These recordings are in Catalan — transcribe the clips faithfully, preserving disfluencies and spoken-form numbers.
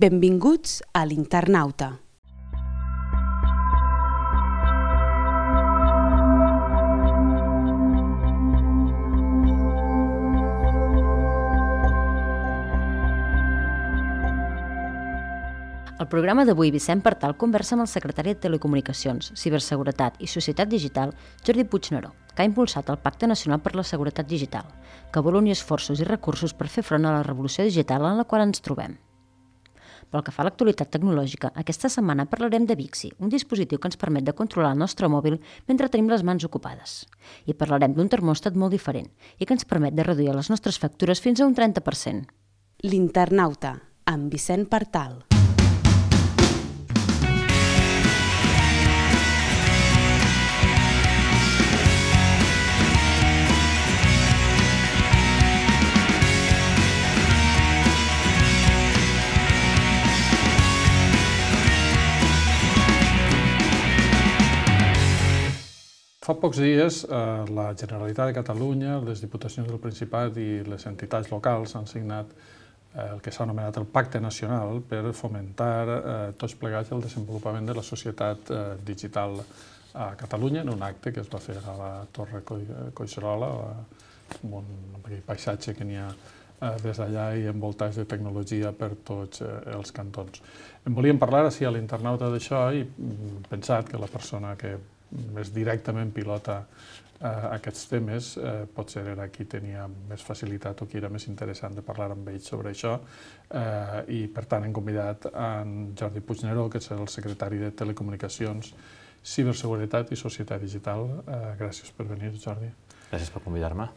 Benvinguts a l'Internauta. Al programa d'avui, Vicent Partal conversa amb el secretari de Telecomunicacions, Ciberseguretat i Societat Digital, Jordi Puigneró, que ha impulsat el Pacte Nacional per la Seguretat Digital, que vol unir esforços i recursos per fer front a la revolució digital en la qual ens trobem. Pel que fa a l'actualitat tecnològica, aquesta setmana parlarem de Bixi, un dispositiu que ens permet de controlar el nostre mòbil mentre tenim les mans ocupades. I parlarem d'un termòstat molt diferent i que ens permet de reduir les nostres factures fins a un trenta per cent. L'Internauta, amb Vicent Partal. Fa pocs dies, la Generalitat de Catalunya, les Diputacions del Principat i les entitats locals han signat el que s'ha anomenat el Pacte Nacional per fomentar tots plegats el desenvolupament de la societat digital a Catalunya en un acte que es va fer a la Torre Collserola, amb un paisatge que n'hi ha des d'allà i envoltats de tecnologia per tots els cantons. En volíem parlar així a l'Internauta d'això i hem pensat que la persona que més directament pilota aquests temes, potser era qui tenia més facilitat o qui era més interessant de parlar amb ells sobre això, i per tant hem convidat en Jordi Puigneró, que és el secretari de Telecomunicacions, Ciberseguretat i Societat Digital. Gràcies per venir, Jordi. Gràcies per convidar-me.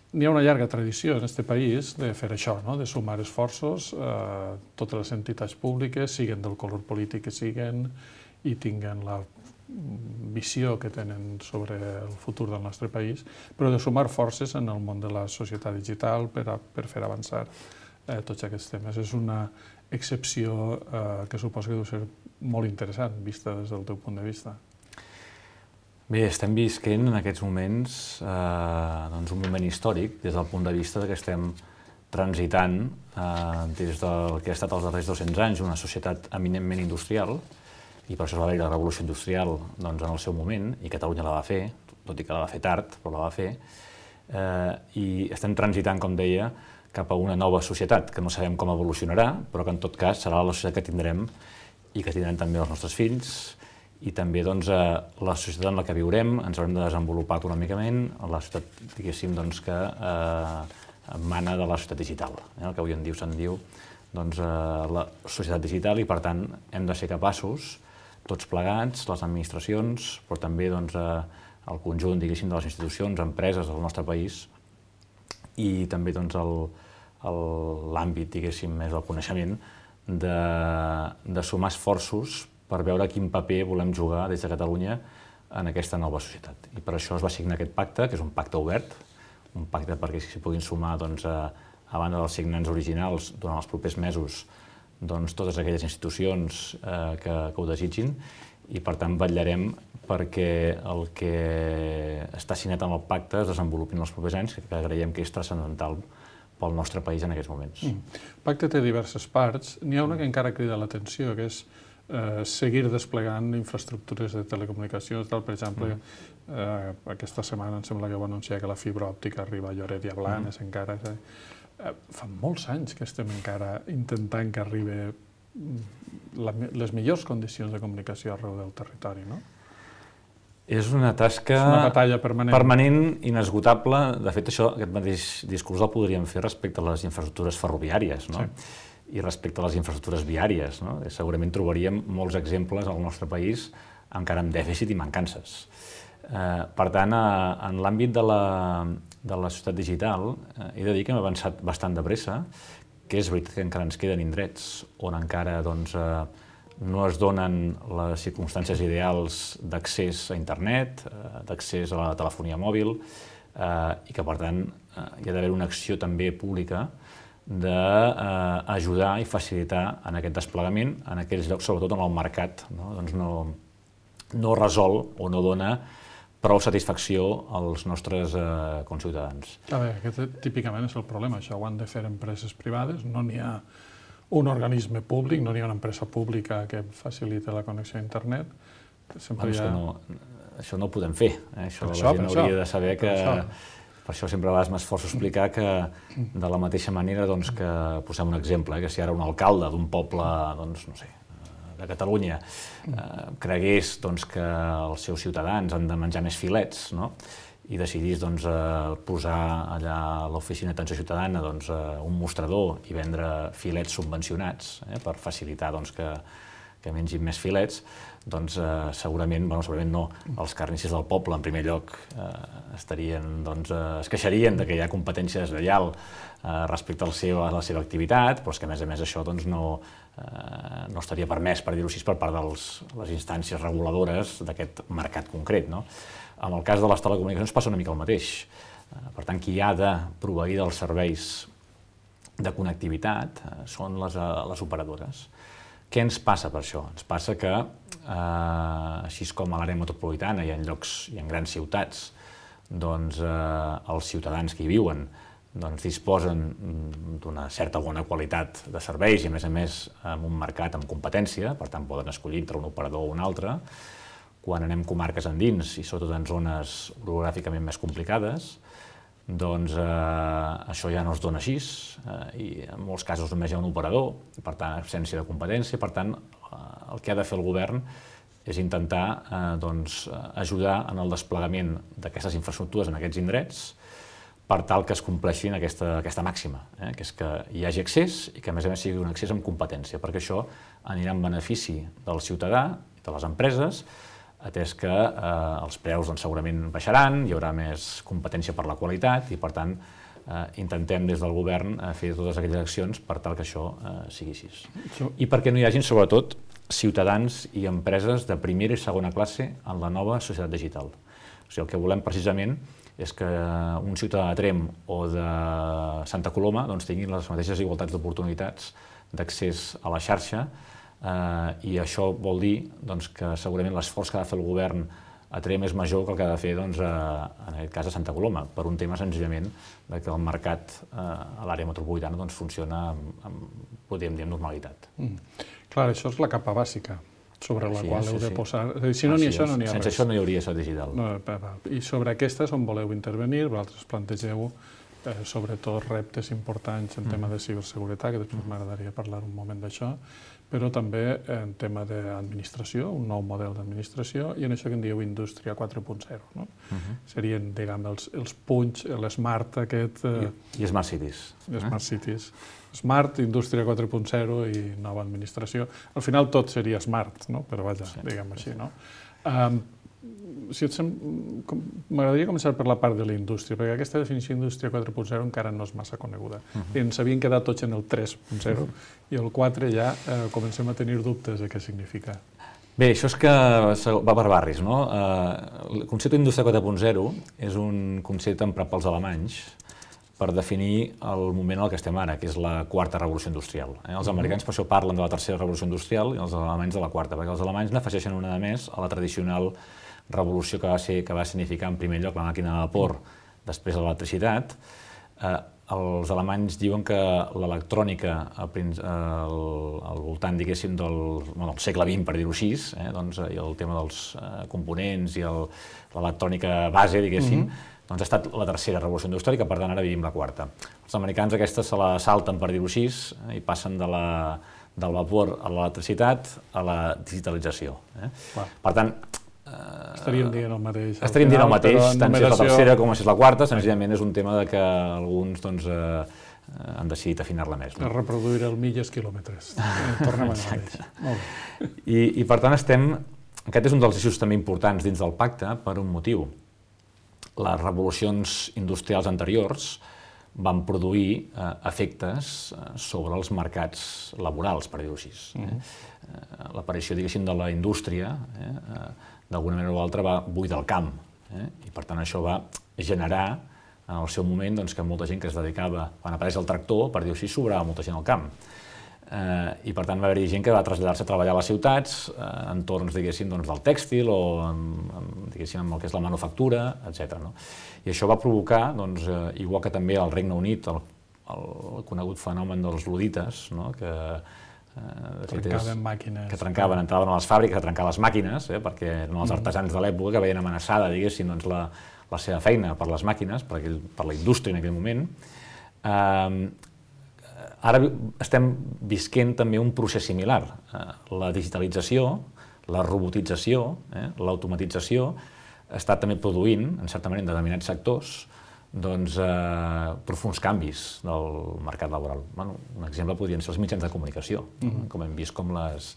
N'hi ha una llarga tradició en aquest país de fer això, de sumar esforços, totes les entitats públiques, siguen del color polític que siguen, i tinguen la visió que tenen sobre el futur del nostre país, però de sumar forces en el món de la societat digital per fer avançar tots aquests temes. És una excepció que suposo que deu ser molt interessant, vista des del teu punt de vista. Bé, estem visquent en aquests moments un moment històric des del punt de vista que estem transitant des del que ha estat els darrers dos-cents anys una societat eminentment industrial, i per això va haver la revolució industrial en el seu moment, i Catalunya la va fer, tot i que la va fer tard, però la va fer, i estem transitant, com deia, cap a una nova societat, que no sabem com evolucionarà, però que en tot cas serà la societat que tindrem i que tindrem també els nostres fills, i també la societat en la que viurem, ens haurem de desenvolupar econòmicament, la societat, diguéssim, que emana de la societat digital, el que avui en dia se'n diu la societat digital, i per tant hem de ser capaços, tots plegats, les administracions, però també el conjunt de les institucions, empreses del nostre país i també l'àmbit més del coneixement, de sumar esforços per veure quin paper volem jugar des de Catalunya en aquesta nova societat. I per això es va signar aquest pacte, que és un pacte obert, un pacte perquè s'hi puguin sumar, a banda dels signants originals, durant els propers mesos, totes aquelles institucions que ho desitgin, i per tant vetllarem perquè el que està signat en el pacte es desenvolupi en els propers anys, que creiem que és transcendental pel nostre país en aquests moments. El pacte té diverses parts. N'hi ha una que encara crida l'atenció, que és seguir desplegant infraestructures de telecomunicacions. Per exemple, aquesta setmana em sembla que va anunciar que la fibra òptica arriba a Lloret i a Blanes encara. Fa molts anys que estem encara intentant que arribi les millors condicions de comunicació arreu del territori, no? És una tasca... És una batalla permanent. Permanent, inesgotable. De fet, això, aquest mateix discurs el podríem fer respecte a les infraestructures ferroviàries, no? I respecte a les infraestructures viàries, no? Segurament trobaríem molts exemples al nostre país encara amb dèficit i mancances. Per tant, en l'àmbit de la societat digital, he de dir que hem avançat bastant de pressa, que és veritat que encara ens queden indrets on encara no es donen les circumstàncies ideals d'accés a internet, d'accés a la telefonia mòbil, i que, per tant, hi ha d'haver una acció també pública d'ajudar i facilitar en aquest desplegament en aquells llocs, sobretot on el mercat no resol o no dona prou satisfacció als nostres conciutadans. A veure, aquest típicament és el problema. Això ho han de fer empreses privades, no n'hi ha un organisme públic, no n'hi ha una empresa pública que facilita la connexió a internet. Sempre hi ha... no, això no ho podem fer, eh? Això, això la gent hauria això, de saber que... Per Per això sempre a vegades m'esforço a explicar que de la mateixa manera doncs, que posem un exemple, eh? Que si ara un alcalde d'un poble, doncs, no sé, de Catalunya eh, cregués doncs, que els seus ciutadans han de menjar més filets, no? I decidís doncs, eh, posar allà a l'oficina d'atenció ciutadana doncs, eh, un mostrador i vendre filets subvencionats eh, per facilitar doncs, que, que mengin més filets, doncs eh, segurament, bueno, segurament no, els carnisses del poble, en primer lloc, eh, estarien, doncs, eh, es queixarien de que hi ha competència deslleial eh, respecte al seu, a la seva activitat, però és que, a més a més, això doncs, no, eh, no estaria permès, per dir-ho així, per part de les instàncies reguladores d'aquest mercat concret, no? En el cas de les telecomunicacions passa una mica el mateix. Eh, per tant, qui ha de proveir dels serveis de connectivitat eh, són les, eh, les operadores. Què ens passa per això? Ens passa que, eh, així com a l'àrea metropolitana i en llocs i en grans ciutats, doncs eh, els ciutadans que hi viuen doncs, disposen d'una certa bona qualitat de serveis i, a més a més, en un mercat amb competència, per tant, poden escollir entre un operador o un altre. Quan anem comarques endins i sobretot en zones orogràficament més complicades, doncs eh, això ja no es dona així eh, i en molts casos només hi ha un operador, per tant, absència de competència, per tant, eh, el que ha de fer el govern és intentar eh, doncs, ajudar en el desplegament d'aquestes infraestructures en aquests indrets per tal que es compleixin aquesta, aquesta màxima, eh, que és que hi hagi accés i que, a més a més, sigui un accés amb competència, perquè això anirà en benefici del ciutadà i de les empreses, atès que eh, els preus doncs, segurament baixaran, hi haurà més competència per la qualitat i, per tant, eh, intentem des del govern eh, fer totes aquelles accions per tal que això eh, sigui així. I perquè no hi hagin, sobretot, ciutadans i empreses de primera i segona classe en la nova societat digital. O sigui, el que volem precisament és que un ciutadà de Tremp o de Santa Coloma doncs, tinguin les mateixes igualtats d'oportunitats d'accés a la xarxa. Uh, i això vol dir doncs, que segurament l'esforç que ha de fer el govern a Tremp és major que el que ha de fer doncs, a, en aquest cas a Santa Coloma, per un tema senzillament de que el mercat uh, a l'àrea metropolitana doncs, funciona amb, amb, podríem dir, amb normalitat. Mm. Clar, això és la capa bàsica sobre la sí, qual sí, heu de sí. posar... Si no ah, n'hi sí, això, no n'hi ha sense res. Sense això no hi hauria societat digital. No, I sobre aquesta és on voleu intervenir, vosaltres plantegeu eh, sobretot reptes importants en mm. tema de ciberseguretat, que després m'agradaria parlar un moment d'això, però també en tema d'administració, un nou model d'administració, i en això que en dieu Indústria quatre punt zero. No? Uh-huh. Serien, diguem, els, els punts, l'Smart aquest... Eh, I, I Smart Cities. Smart eh? Cities. Smart, Indústria quatre punt zero i nova administració. Al final tot seria Smart, no? Però vaja, sí, diguem així, no? Um, si et sem... M'agradaria començar per la part de la indústria, perquè aquesta definició d'Indústria quatre punt zero encara no és massa coneguda. Uh-huh. I ens havien quedat tots en el tres punt zero uh-huh. i el quatre ja eh, comencem a tenir dubtes de què significa. Bé, això és que va per barris, no? Eh, el concepte d'Indústria quatre punt zero és un concepte emprat pels alemanys per definir el moment en el que estem ara, que és la quarta revolució industrial. Eh? Els americans per això parlen de la tercera revolució industrial i els alemanys de la quarta, perquè els alemanys n'afegeixen una de més a la tradicional revolució que va, ser, que va significar en primer lloc la màquina de vapor, després l'electricitat. Eh, els alemanys diuen que l'electrònica al, al, al voltant, diguéssim, del, bueno, del segle vint, per dir-ho així, eh, doncs, i el tema dels eh, components i l'electrònica base, diguéssim, uh-huh. doncs ha estat la tercera revolució industrial i que per tant ara vivim la quarta. Els americans aquesta se la salten, per dir-ho així, eh, i passen de la, del vapor a l'electricitat a la digitalització. Eh? Per tant, estaríem dient el mateix. Estaríem dient el mateix, tant si és la tercera com si és la quarta, senzillament és un tema de que alguns doncs, eh, han decidit afinar-la més. No? Reproduir el milles quilòmetres. Tornem a mateix. Molt bé. I, I per tant estem... Aquest és un dels eixos també importants dins del pacte per un motiu. Les revolucions industrials anteriors van produir eh, efectes eh, sobre els mercats laborals, per dir-ho així. Eh? Uh-huh. L'aparició, diguéssim, de la indústria, eh, d'alguna manera o altra, va buidar el camp. Eh? I per tant això va generar, en el seu moment, doncs, que molta gent que es dedicava, quan apareix el tractor, per dir-ho així, sobrava molta gent al camp. Eh, I per tant va haver-hi gent que va traslladar-se a treballar a les ciutats, eh, en entorns, diguéssim, doncs, del tèxtil o en, en, diguéssim, en el que és la manufactura, etcètera. No? I això va provocar, doncs, eh, igual que també al Regne Unit, el, el conegut fenomen dels ludites, no? que, eh, trencaven màquines. Que trencaven, entraven a les fàbriques a trencar les màquines, eh, perquè eren els artesans de l'època que veien amenaçada, diguéssim, doncs, la, la seva feina per les màquines, per, aquell, per la indústria en aquell moment. Eh, ara estem visquent també un procés similar. Eh, la digitalització, la robotització, eh, l'automatització, està també produint, en certa manera, en determinats sectors, doncs, eh, profuns canvis del mercat laboral. Bueno, un exemple podrien ser els mitjans de comunicació. Mm-hmm. Com hem vist com les,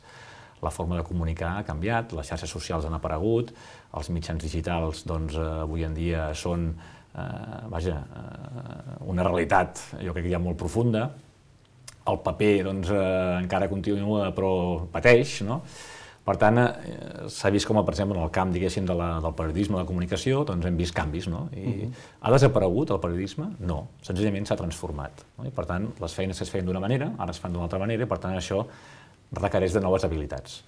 la forma de comunicar ha canviat, les xarxes socials han aparegut, els mitjans digitals doncs, eh, avui en dia són eh, vaja, eh, una realitat, jo crec que ja molt profunda. El paper doncs, eh, encara continua però pateix, no? Per tant, eh, s'ha vist com, per exemple, en el camp, diguéssim, de la, del periodisme, de la comunicació, doncs hem vist canvis, no? I uh-huh. Ha desaparegut el periodisme? No, senzillament s'ha transformat. No? I per tant, les feines que es feien d'una manera, ara es fan d'una altra manera, i per tant això requereix de noves habilitats.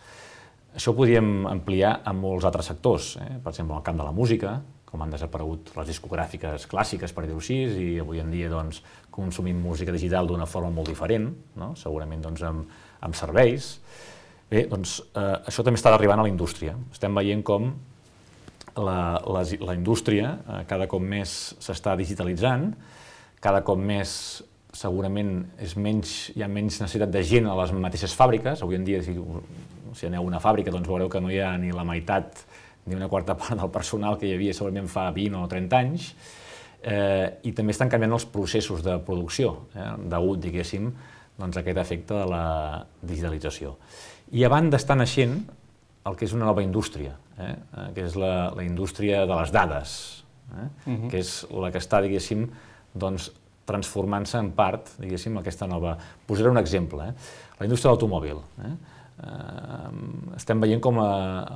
Això ho podríem ampliar a molts altres sectors, eh? Per exemple, en el camp de la música, com han desaparegut les discogràfiques clàssiques, per dir-ho així, i avui en dia doncs, consumim música digital d'una forma molt diferent, no? Segurament doncs, amb, amb serveis. Bé, doncs eh, això també està arribant a la indústria. Estem veient com la, la, la indústria eh, cada cop més s'està digitalitzant, cada cop més segurament és menys, hi ha menys necessitat de gent a les mateixes fàbriques. Avui en dia, si, si aneu a una fàbrica, doncs veureu que no hi ha ni la meitat ni una quarta part del personal que hi havia segurament fa vint o trenta anys. Eh, I també estan canviant els processos de producció, eh, degut, diguéssim, doncs, a aquest efecte de la digitalització. I a banda està naixent el que és una nova indústria, eh? que és la, la indústria de les dades, eh? uh-huh. que és la que està, diguéssim, doncs, transformant-se en part, diguéssim, aquesta nova... Posaré un exemple, eh? La indústria de l'automòbil. Eh? Eh, estem veient com a,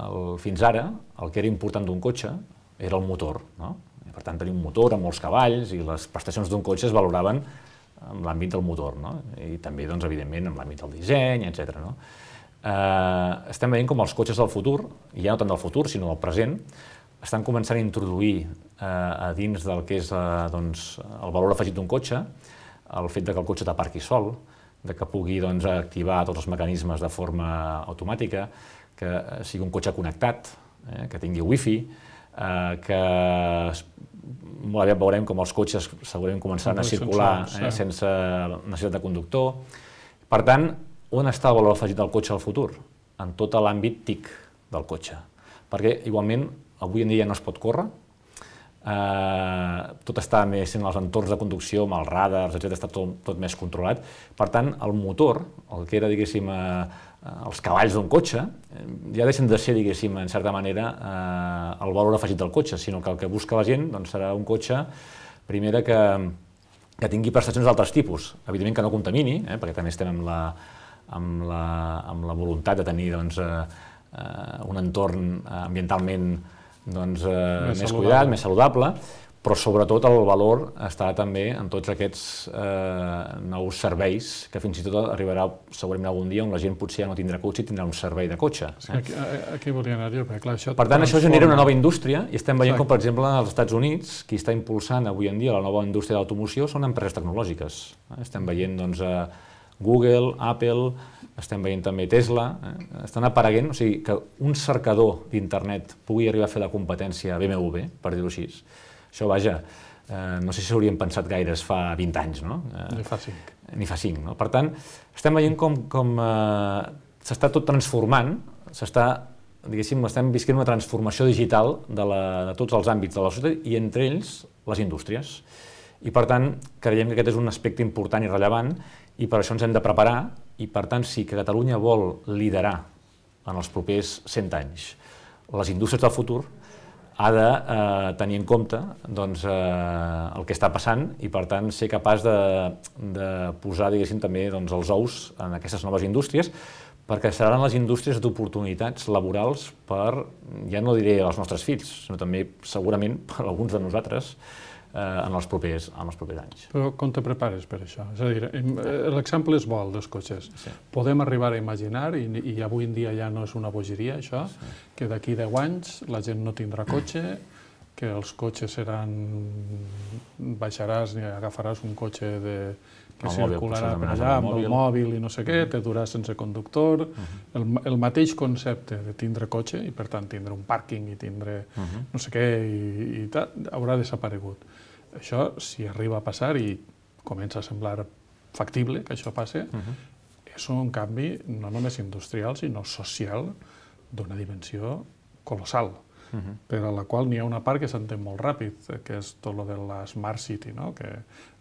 el, fins ara el que era important d'un cotxe era el motor, no? I, per tant, tenia un motor amb molts cavalls i les prestacions d'un cotxe es valoraven en l'àmbit del motor, no? I també, doncs, evidentment, en l'àmbit del disseny, etcètera. No? Uh, estem veient com els cotxes del futur, i ja no tant del futur, sinó del present, estan començant a introduir uh, a dins del que és uh, doncs, el valor afegit d'un cotxe, el fet de que el cotxe t'aparqui sol, de que pugui doncs, activar tots els mecanismes de forma automàtica, que sigui un cotxe connectat, eh, que tingui wifi, uh, que molt aviat veurem com els cotxes segurament començaran a circular eh, sense necessitat de conductor. Per tant, on està el valor afegit del cotxe al futur? En tot l'àmbit T I C del cotxe. Perquè, igualment, avui en dia ja no es pot córrer, eh, tot està més en els entorns de conducció, amb els radars, etcètera, està tot, tot més controlat. Per tant, el motor, el que era, diguéssim, eh, els cavalls d'un cotxe, ja deixen de ser, diguéssim, en certa manera, eh, el valor afegit del cotxe, sinó que el que busca la gent doncs, serà un cotxe, primera, que, que tingui prestacions d'altres tipus. Evidentment que no contamini, eh, perquè també estem amb la Amb la, amb la voluntat de tenir doncs, eh, un entorn ambientalment doncs, eh, més, més cuidat, més saludable, però sobretot el valor està també en tots aquests eh, nous serveis que fins i tot arribarà segurament algun dia on la gent potser ja no tindrà cotxe i tindrà un servei de cotxe. Eh? Sí, aquí, aquí volia anar jo, perquè clar, això... Per tant, això genera una nova indústria i estem veient com, per exemple, als Estats Units, qui està impulsant avui en dia la nova indústria de l'automoció són empreses tecnològiques. Eh? Estem veient doncs, eh, Google, Apple, estem veient també Tesla, eh? Estan apareguent, o sigui, que un cercador d'internet pugui arribar a fer la competència a B M W, per dir-ho així. Això, vaja, eh, no sé si s'haurien pensat gaires fa vint anys, no? Eh, ni fa cinc. Ni fa cinc, no? Per tant, estem veient com, com eh, s'està tot transformant, s'està, diguéssim, estem visquent una transformació digital de, la, de tots els àmbits de la societat i entre ells les indústries. I per tant, creiem que aquest és un aspecte important i rellevant i per això ens hem de preparar i per tant, si que Catalunya vol liderar en els propers cent anys les indústries del futur, ha de eh, tenir en compte doncs, eh, el que està passant i per tant ser capaç de, de posar, diguéssim, també doncs, els ous en aquestes noves indústries, perquè seran les indústries d'oportunitats laborals per, ja no diré als nostres fills, sinó també segurament per alguns de nosaltres, en els propers, en els propers anys. Però com te prepares per això? És a dir, l'exemple és bo, el dels cotxes. Sí. Podem arribar a imaginar, i, i avui en dia ja no és una bogeria això, sí. que d'aquí deu anys la gent no tindrà cotxe, que els cotxes seran... baixaràs i agafaràs un cotxe de... que circularà per allà amb el mòbil i no sé què, te durà sense conductor, el, el mateix concepte de tindre cotxe i per tant tindre un pàrquing i tindre no sé què i, i tal, haurà desaparegut. Això, si arriba a passar i comença a semblar factible que això passi, és un canvi no només industrial sinó social d'una dimensió colossal. Uh-huh. per a la qual n'hi ha una part que s'entén molt ràpid, que és tot lo de la Smart City, no? Que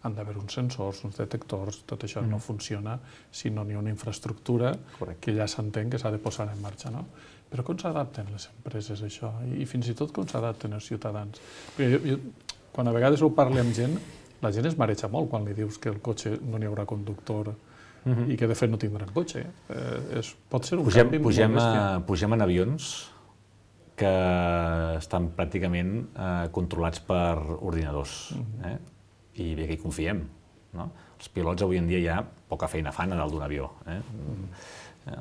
han d'haver uns sensors, uns detectors, tot això uh-huh. no funciona si no n'hi ha una infraestructura Correcte. Que ja s'entén que s'ha de posar en marxa. No? Però com s'adapten les empreses a això? I, I fins i tot com s'adapten els ciutadans? Perquè jo, jo, quan a vegades ho parlo amb gent, la gent es mareja molt quan li dius que el cotxe no n'hi haurà conductor uh-huh. i que de fet no tindran cotxe. Eh, és, pot ser un pugem, canvi pugem molt bèstia. A, pugem en avions que estan pràcticament eh, controlats per ordinadors, eh? I bé que hi confiem. No? Els pilots avui en dia ja poca feina fan a dalt d'un avió. Eh? Mm.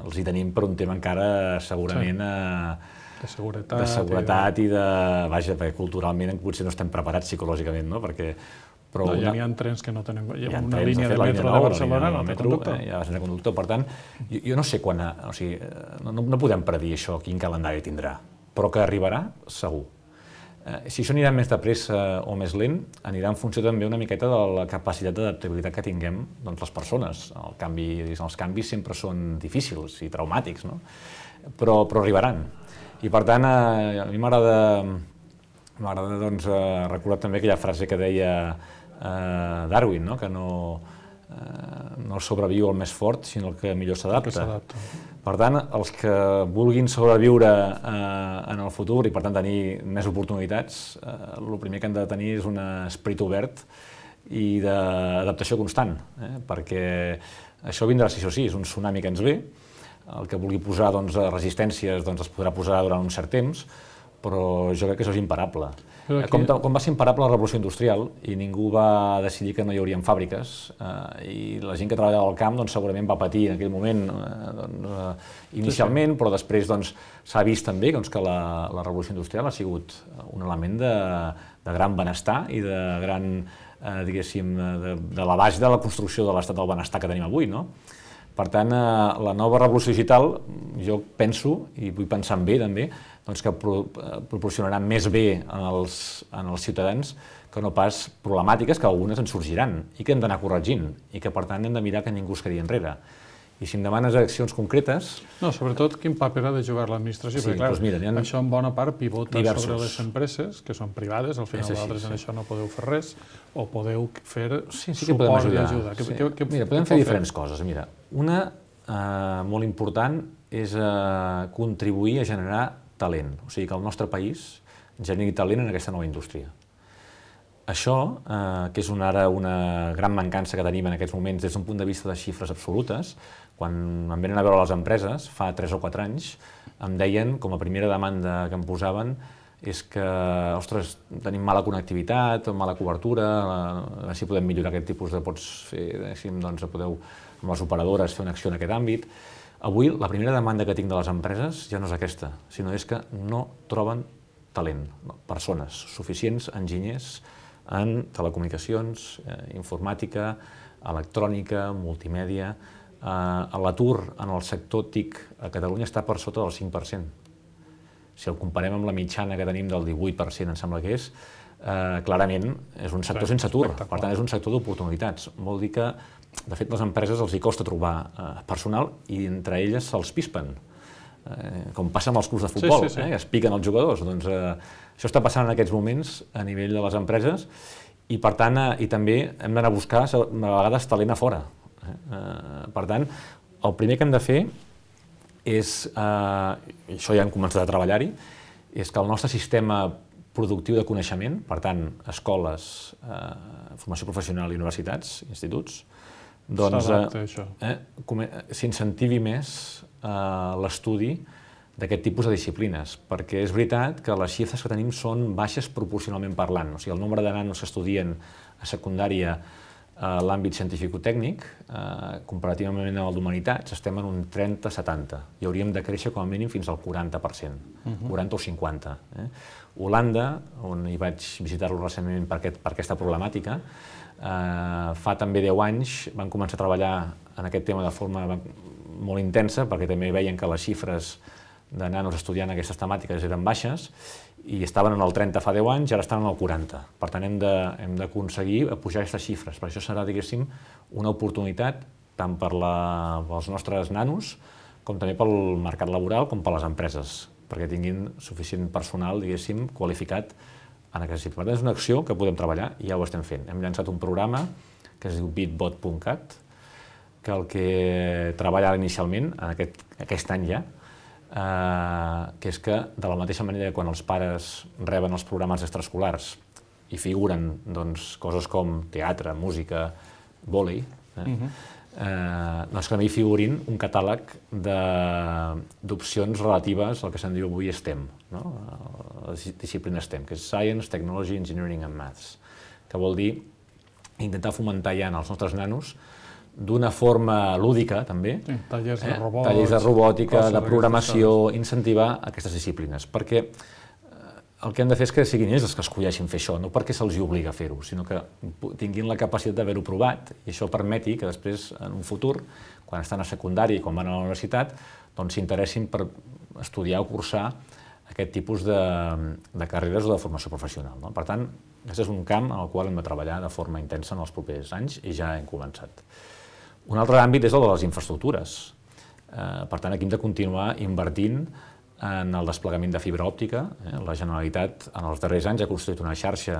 Els hi tenim per un tema encara segurament sí. eh, de seguretat, de seguretat i, de... i de... Vaja, perquè culturalment potser no estem preparats psicològicament, no? Perquè però no, una... ja n'hi ha trens que no tenen... Hi ha una línia de metro de Barcelona no té conductor. Hi ha sense conductor. Per tant, jo, jo no sé quan... O sigui, no, no podem predir això, quin calendari tindrà. Però que arribarà, segur. Eh, si això anirà més de pressa o més lent, anirà en funció també una miqueta de la capacitat d'adaptabilitat que tinguem doncs, les persones. El canvi, els canvis sempre són difícils i traumàtics, no? però, però arribaran. I per tant, eh, a mi m'agrada m'agrada doncs, eh, recordar també aquella frase que deia eh, Darwin, no? que no, eh, no sobreviu el més fort, sinó el que millor s'adapta. Per tant, els que vulguin sobreviure eh, en el futur i per tant tenir més oportunitats, eh, el primer que han de tenir és un esperit obert i d'adaptació constant, eh, perquè això vindrà si això sí, és un tsunami que ens ve, el que vulgui posar doncs, resistències doncs, es podrà posar durant un cert temps, però jo crec que això és imparable. Aquí... Com, com va ser imparable la revolució industrial i ningú va decidir que no hi haurien fàbriques eh, i la gent que treballava al camp doncs, segurament va patir en aquell moment eh, doncs, eh, inicialment, sí, sí. però després doncs, s'ha vist també doncs, que la, la revolució industrial ha sigut un element de, de gran benestar i de gran, eh, diguéssim, de, de la base de la construcció de l'estat del benestar que tenim avui, no? Per tant, eh, la nova revolució digital, jo penso, i vull pensar en bé també, doncs que pro, eh, proporcionarà més bé en els, en els ciutadans que no pas problemàtiques que algunes en sorgiran i que hem d'anar corregint i que per tant hem de mirar que ningú es quedi enrere. I si em demanes accions concretes... No, sobretot quin paper ha de jugar l'administració, sí, perquè clar, doncs mira, ha... això en bona part pivota diversos. sobre les empreses, que són privades, al final vosaltres sí, sí. en això no podeu fer res, o podeu fer sí, sí suport d'ajuda. Sí. Mira, podem fer diferents fer? coses. Mira, una eh, molt important és eh, contribuir a generar talent, o sigui que el nostre país generi talent en aquesta nova indústria. Això, eh, que és una, ara una gran mancança que tenim en aquests moments des d'un punt de vista de xifres absolutes, quan em venen a veure les empreses, fa tres o quatre anys, em deien, com a primera demanda que em posaven, és que, ostres, tenim mala connectivitat, mala cobertura, així podem millorar aquest tipus de... Pots fer, doncs, podeu, amb les operadores, fer una acció en aquest àmbit. Avui, la primera demanda que tinc de les empreses ja no és aquesta, sinó és que no troben talent, no? persones, suficients enginyers en telecomunicacions, eh, informàtica, electrònica, multimèdia. Eh, L'atur en el sector T I C a Catalunya està per sota del cinc per cent. Si el comparem amb la mitjana que tenim del divuit per cent, em sembla que és, eh, clarament és un sector sense atur, per tant és un sector d'oportunitats. Vol dir que, de fet, les empreses els hi costa trobar eh, personal i entre elles se'ls pispen. Eh, com passa amb els clubs de futbol, sí, sí, sí. Eh, es piquen els jugadors. Doncs, eh, això està passant en aquests moments a nivell de les empreses i, per tant, eh, i també hem d'anar a buscar a vegades talent a fora. Eh, per tant, el primer que hem de fer és, eh, i això ja hem començat a treballar-hi, és que el nostre sistema productiu de coneixement, per tant, escoles, eh, formació professional i universitats, instituts, doncs eh, eh, s'incentivi més eh, l'estudi d'aquest tipus de disciplines, perquè és veritat que les xifres que tenim són baixes proporcionalment parlant, o sigui, el nombre de nanos que estudien a secundària l'àmbit científic-tècnic, eh, comparativament amb el d'humanitats, estem en un trenta setanta i hauríem de créixer com a mínim fins al quaranta per cent, uh-huh. quaranta o cinquanta. Eh? Holanda, on hi vaig visitar-lo recentment per, aquest, per aquesta problemàtica, eh, fa també deu anys van començar a treballar en aquest tema de forma molt intensa, perquè també veien que les xifres de nanos estudiant aquestes temàtiques eren baixes, i estaven en el trenta fa deu anys, ara estan en el quaranta. Per tant, hem d'aconseguir pujar aquestes xifres. Per això serà, diguéssim, una oportunitat tant per la, pels nostres nanos, com també pel mercat laboral, com per les empreses, perquè tinguin suficient personal, diguéssim, qualificat en aquesta disciplina. Per tant, és una acció que podem treballar i ja ho estem fent. Hem llançat un programa que es diu bitbot punt cat, que el que treballa inicialment, en aquest, aquest any ja, Uh, que és que, de la mateixa manera que quan els pares reben els programes extraescolars i figuren doncs, coses com teatre, música, vòlei, eh? uh-huh. uh, doncs que també hi figurin un catàleg d'opcions relatives al que se'n diu avui STEM, no? La disciplina STEM, que és Science, Technology, Engineering and Maths, que vol dir intentar fomentar ja en els nostres nanos d'una forma lúdica, també, sí, tallers, de eh? robots, tallers de robòtica, de programació, incentivar aquestes disciplines, perquè el que han de fer és que siguin ells els que escolleixin fer això, no perquè se'ls obliga a fer-ho, sinó que tinguin la capacitat d'haver-ho provat i això permeti que després, en un futur, quan estan a secundària i quan van a la universitat, doncs s'interessin per estudiar o cursar aquest tipus de, de carreres o de formació professional, no? Per tant, aquest és un camp en el qual hem de treballar de forma intensa en els propers anys i ja hem començat. Un altre àmbit és el de les infraestructures. Eh, per tant, aquí hem de continuar invertint en el desplegament de fibra òptica. Eh? La Generalitat, en els darrers anys, ha construït una xarxa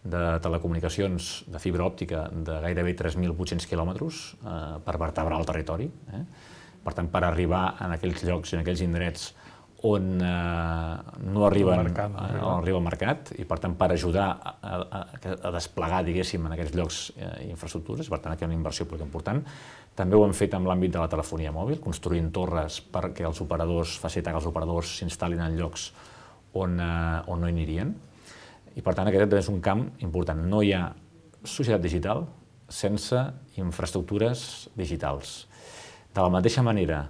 de telecomunicacions de fibra òptica de gairebé tres mil vuit-cents quilòmetres eh, per vertebrar el territori. Eh? Per tant, per arribar en aquells llocs, en aquells indrets on eh, no arriben, el mercat, no arriba. arriba el mercat, i per tant per ajudar a, a, a desplegar, diguéssim, en aquests llocs eh, infraestructures, per tant aquí hi ha una inversió molt important. També ho hem fet en l'àmbit de la telefonia mòbil, construint torres perquè els operadors, facilitar que els operadors s'instal·lin en llocs on, eh, on no hi anirien. I per tant aquest és un camp important. No hi ha societat digital sense infraestructures digitals. De la mateixa manera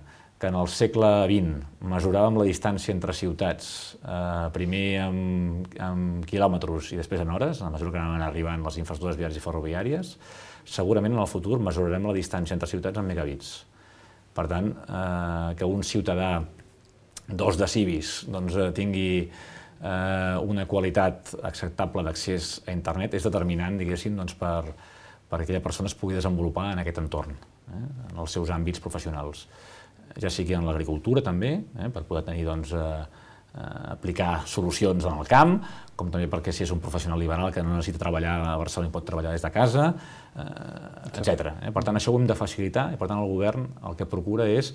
que en el segle vint mesuràvem la distància entre ciutats, eh, primer amb, amb quilòmetres i després en hores, a la mesura que anaven arribant les infraestructures viàries i ferroviàries, segurament en el futur mesurarem la distància entre ciutats en megabits. Per tant, eh, que un ciutadà dos decibis doncs, tingui eh, una qualitat acceptable d'accés a internet és determinant, diguéssim, doncs, per, per aquella persona es pugui desenvolupar en aquest entorn, eh, en els seus àmbits professionals. Ja sigui en l'agricultura també, eh, per poder tenir, doncs, eh, eh, aplicar solucions en el camp, com també perquè si és un professional liberal que no necessita treballar a Barcelona i pot treballar des de casa, eh, etcètera. Eh? Per tant, això ho hem de facilitar i per tant el govern el que procura és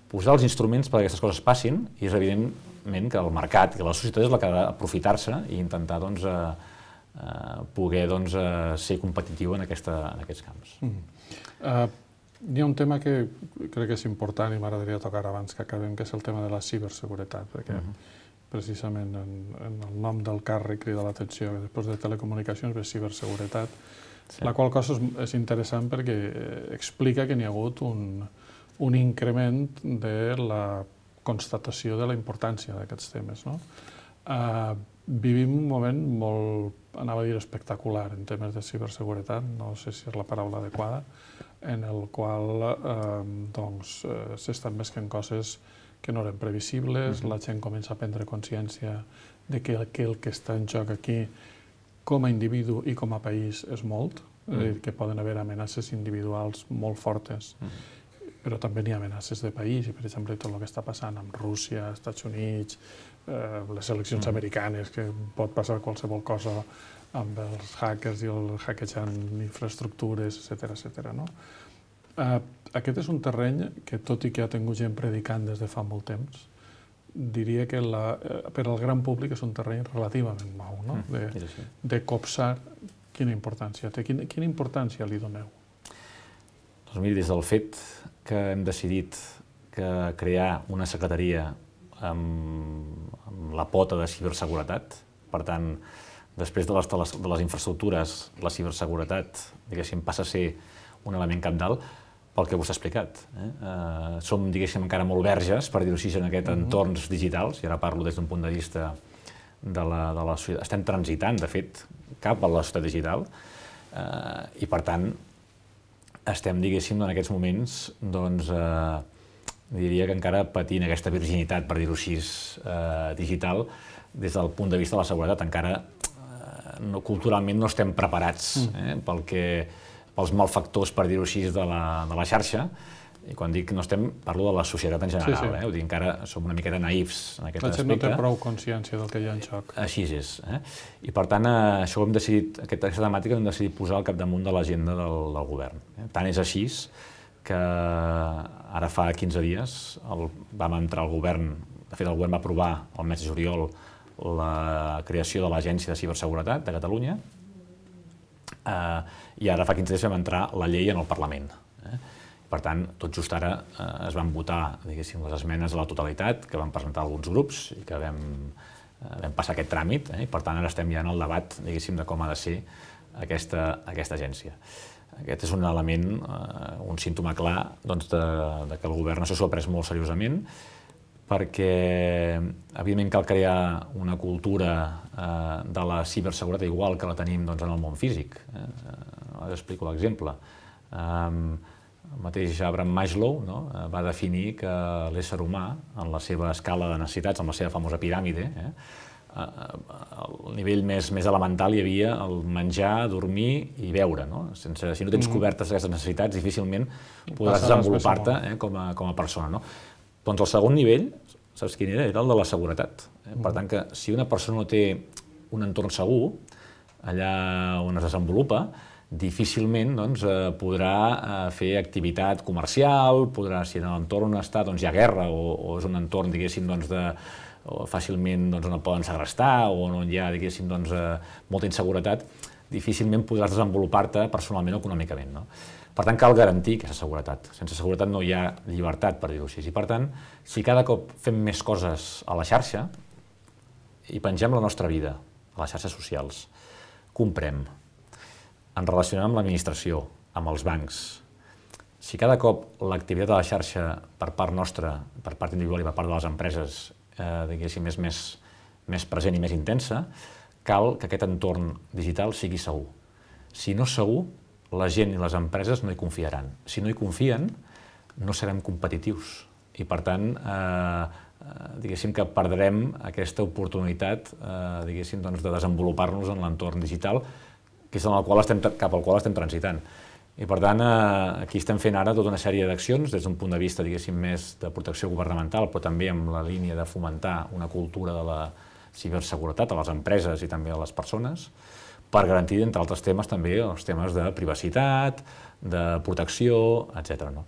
posar els instruments perquè aquestes coses passin i és evidentment que el mercat i la societat és la que ha d'aprofitar-se i intentar doncs, eh, eh, poder doncs, eh, ser competitiu en, aquesta, en aquests camps. Mm. Uh, Hi ha un tema que crec que és important i m'agradaria tocar abans que acabem, que és el tema de la ciberseguretat, perquè uh-huh. precisament en, en el nom del càrrec crida l'atenció que després de telecomunicacions ve ciberseguretat, sí. La qual cosa és, és interessant perquè explica que n'hi ha hagut un, un increment de la constatació de la importància d'aquests temes, no? Uh, vivim un moment molt, anava a dir, espectacular en temes de ciberseguretat, no sé si és la paraula adequada, en el qual eh, doncs, eh, s'estan mesclant coses que no eren previsibles, uh-huh. La gent comença a prendre consciència de que el, que el que està en joc aquí com a individu i com a país és molt, uh-huh. és a dir, que poden haver amenaces individuals molt fortes, uh-huh. però també n'hi ha amenaces de país, i per exemple tot el que està passant amb Rússia, Estats Units, eh, les eleccions uh-huh. americanes, que pot passar qualsevol cosa amb els hackers i el hackejant infraestructures, etcètera, etcètera, no? Uh, aquest és un terreny que, tot i que ha tingut gent predicant des de fa molt temps, diria que la, per al gran públic és un terreny relativament nou, no? De, de copsar quina importància té. Quina, quina importància li doneu? Doncs miri, des del fet que hem decidit que crear una secretaria amb, amb la pota de ciberseguretat, per tant, després de les, de les, de les infraestructures, la ciberseguretat, diguéssim, passa a ser un element cabdal pel que vostè ha explicat. Eh? Uh, som, diguéssim, encara molt verges, per dir-ho així, en aquests mm-hmm. entorns digitals, i ara parlo des d'un punt de vista de la, de la societat. Estem transitant, de fet, cap a la societat digital, uh, i per tant, estem, diguéssim, en aquests moments, doncs, uh, diria que encara patint aquesta virginitat, per dir-ho així, uh, digital, des del punt de vista de la seguretat. Encara, uh, no, culturalment, no estem preparats eh, pel que pels malfactors, per dir-ho així, de la, de la xarxa. I quan dic que no estem, parlo de la societat en general. Sí, sí. Eh? Ho dic, encara som una miqueta naïfs en aquest aspecte. La gent no té prou consciència del que hi ha en xoc. Així és. Eh? I per tant, eh, això ho hem decidit, aquesta temàtica hem decidit posar al capdamunt de l'agenda del, del govern. Eh? Tant és així que ara fa quinze dies el, vam entrar al govern, de fet el govern va aprovar el mes de juliol la creació de l'Agència de Ciberseguretat de Catalunya, Uh, i ara fa quinze dies vam entrar la llei en el Parlament. Eh? Per tant, tot just ara uh, es van votar, diguéssim, les esmenes a la totalitat que van presentar alguns grups i que vam, uh, vam passar aquest tràmit, eh? I per tant ara estem ja en el debat, diguéssim, de com ha de ser aquesta, aquesta agència. Aquest és un element, uh, un símptoma clar doncs, de, de que el govern això s'ho ha pres molt seriosament, perquè, evidentment, cal crear una cultura eh, de la ciberseguretat igual que la tenim doncs, en el món físic. Eh? Ara explico l'exemple. Um, el mateix Abraham Maslow no? va definir que l'ésser humà, en la seva escala de necessitats, en la seva famosa piràmide, eh? al nivell més, més elemental hi havia el menjar, dormir i beure. No? Sense, si no tens cobertes aquestes necessitats, difícilment podràs desenvolupar-te eh, com, a, com a persona. No? Doncs el segon nivell, saps quin era? Era el de la seguretat. Per tant, que si una persona no té un entorn segur, allà on es desenvolupa, difícilment doncs, podrà fer activitat comercial, podrà, si en l'entorn on està doncs, hi ha guerra o, o és un entorn, diguéssim, doncs, de, o fàcilment doncs, on el poden segrestar o on hi ha, diguéssim, doncs, molta inseguretat, difícilment podràs desenvolupar-te personalment o econòmicament. No? Per tant, cal garantir aquesta seguretat. Sense seguretat no hi ha llibertat, per dir-ho així. I per tant, si cada cop fem més coses a la xarxa i pengem la nostra vida a les xarxes socials, comprem, ens relacionem amb l'administració, amb els bancs, si cada cop l'activitat a la xarxa per part nostra, per part individual i per part de les empreses, eh, diguéssim, és més, més present i més intensa, cal que aquest entorn digital sigui segur. Si no és segur, la gent i les empreses no hi confiaran. Si no hi confien, no serem competitius. I, per tant, eh, diguéssim que perdrem aquesta oportunitat eh, diguéssim, doncs, de desenvolupar-nos en l'entorn digital, que és en el qual estem, cap al qual estem transitant. I, per tant, eh, aquí estem fent ara tota una sèrie d'accions, des d'un punt de vista, diguéssim, més de protecció governamental, però també amb la línia de fomentar una cultura de la ciberseguretat a les empreses i també a les persones, per garantir, entre altres temes, també els temes de privacitat, de protecció, etcètera. No?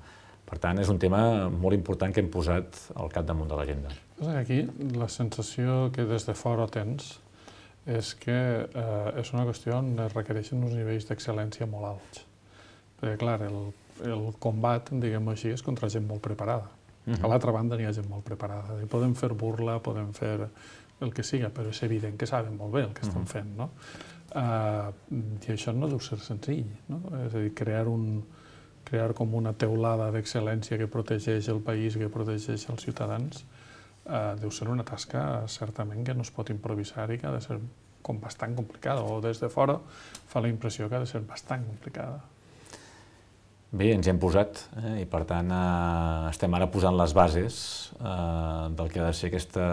Per tant, és un tema molt important que hem posat al capdamunt de l'agenda. Aquí la sensació que des de fora tens és que eh, és una qüestió on es requereixen uns nivells d'excel·lència molt alts. Perquè, clar, el, el combat, diguem-ho així, és contra gent molt preparada. Uh-huh. A l'altra banda n'hi ha gent molt preparada. Podem fer burla, podem fer el que siga, però és evident que saben molt bé el que estan uh-huh. fent, no? Uh, I això no deu ser senzill, no? És a dir, crear, un, crear com una teulada d'excel·lència que protegeix el país, que protegeix els ciutadans, uh, deu ser una tasca certament que no es pot improvisar i que ha de ser com bastant complicada, o des de fora fa la impressió que ha de ser bastant complicada. Bé, ens hi hem posat eh, i per tant eh, estem ara posant les bases eh, del que ha de ser aquesta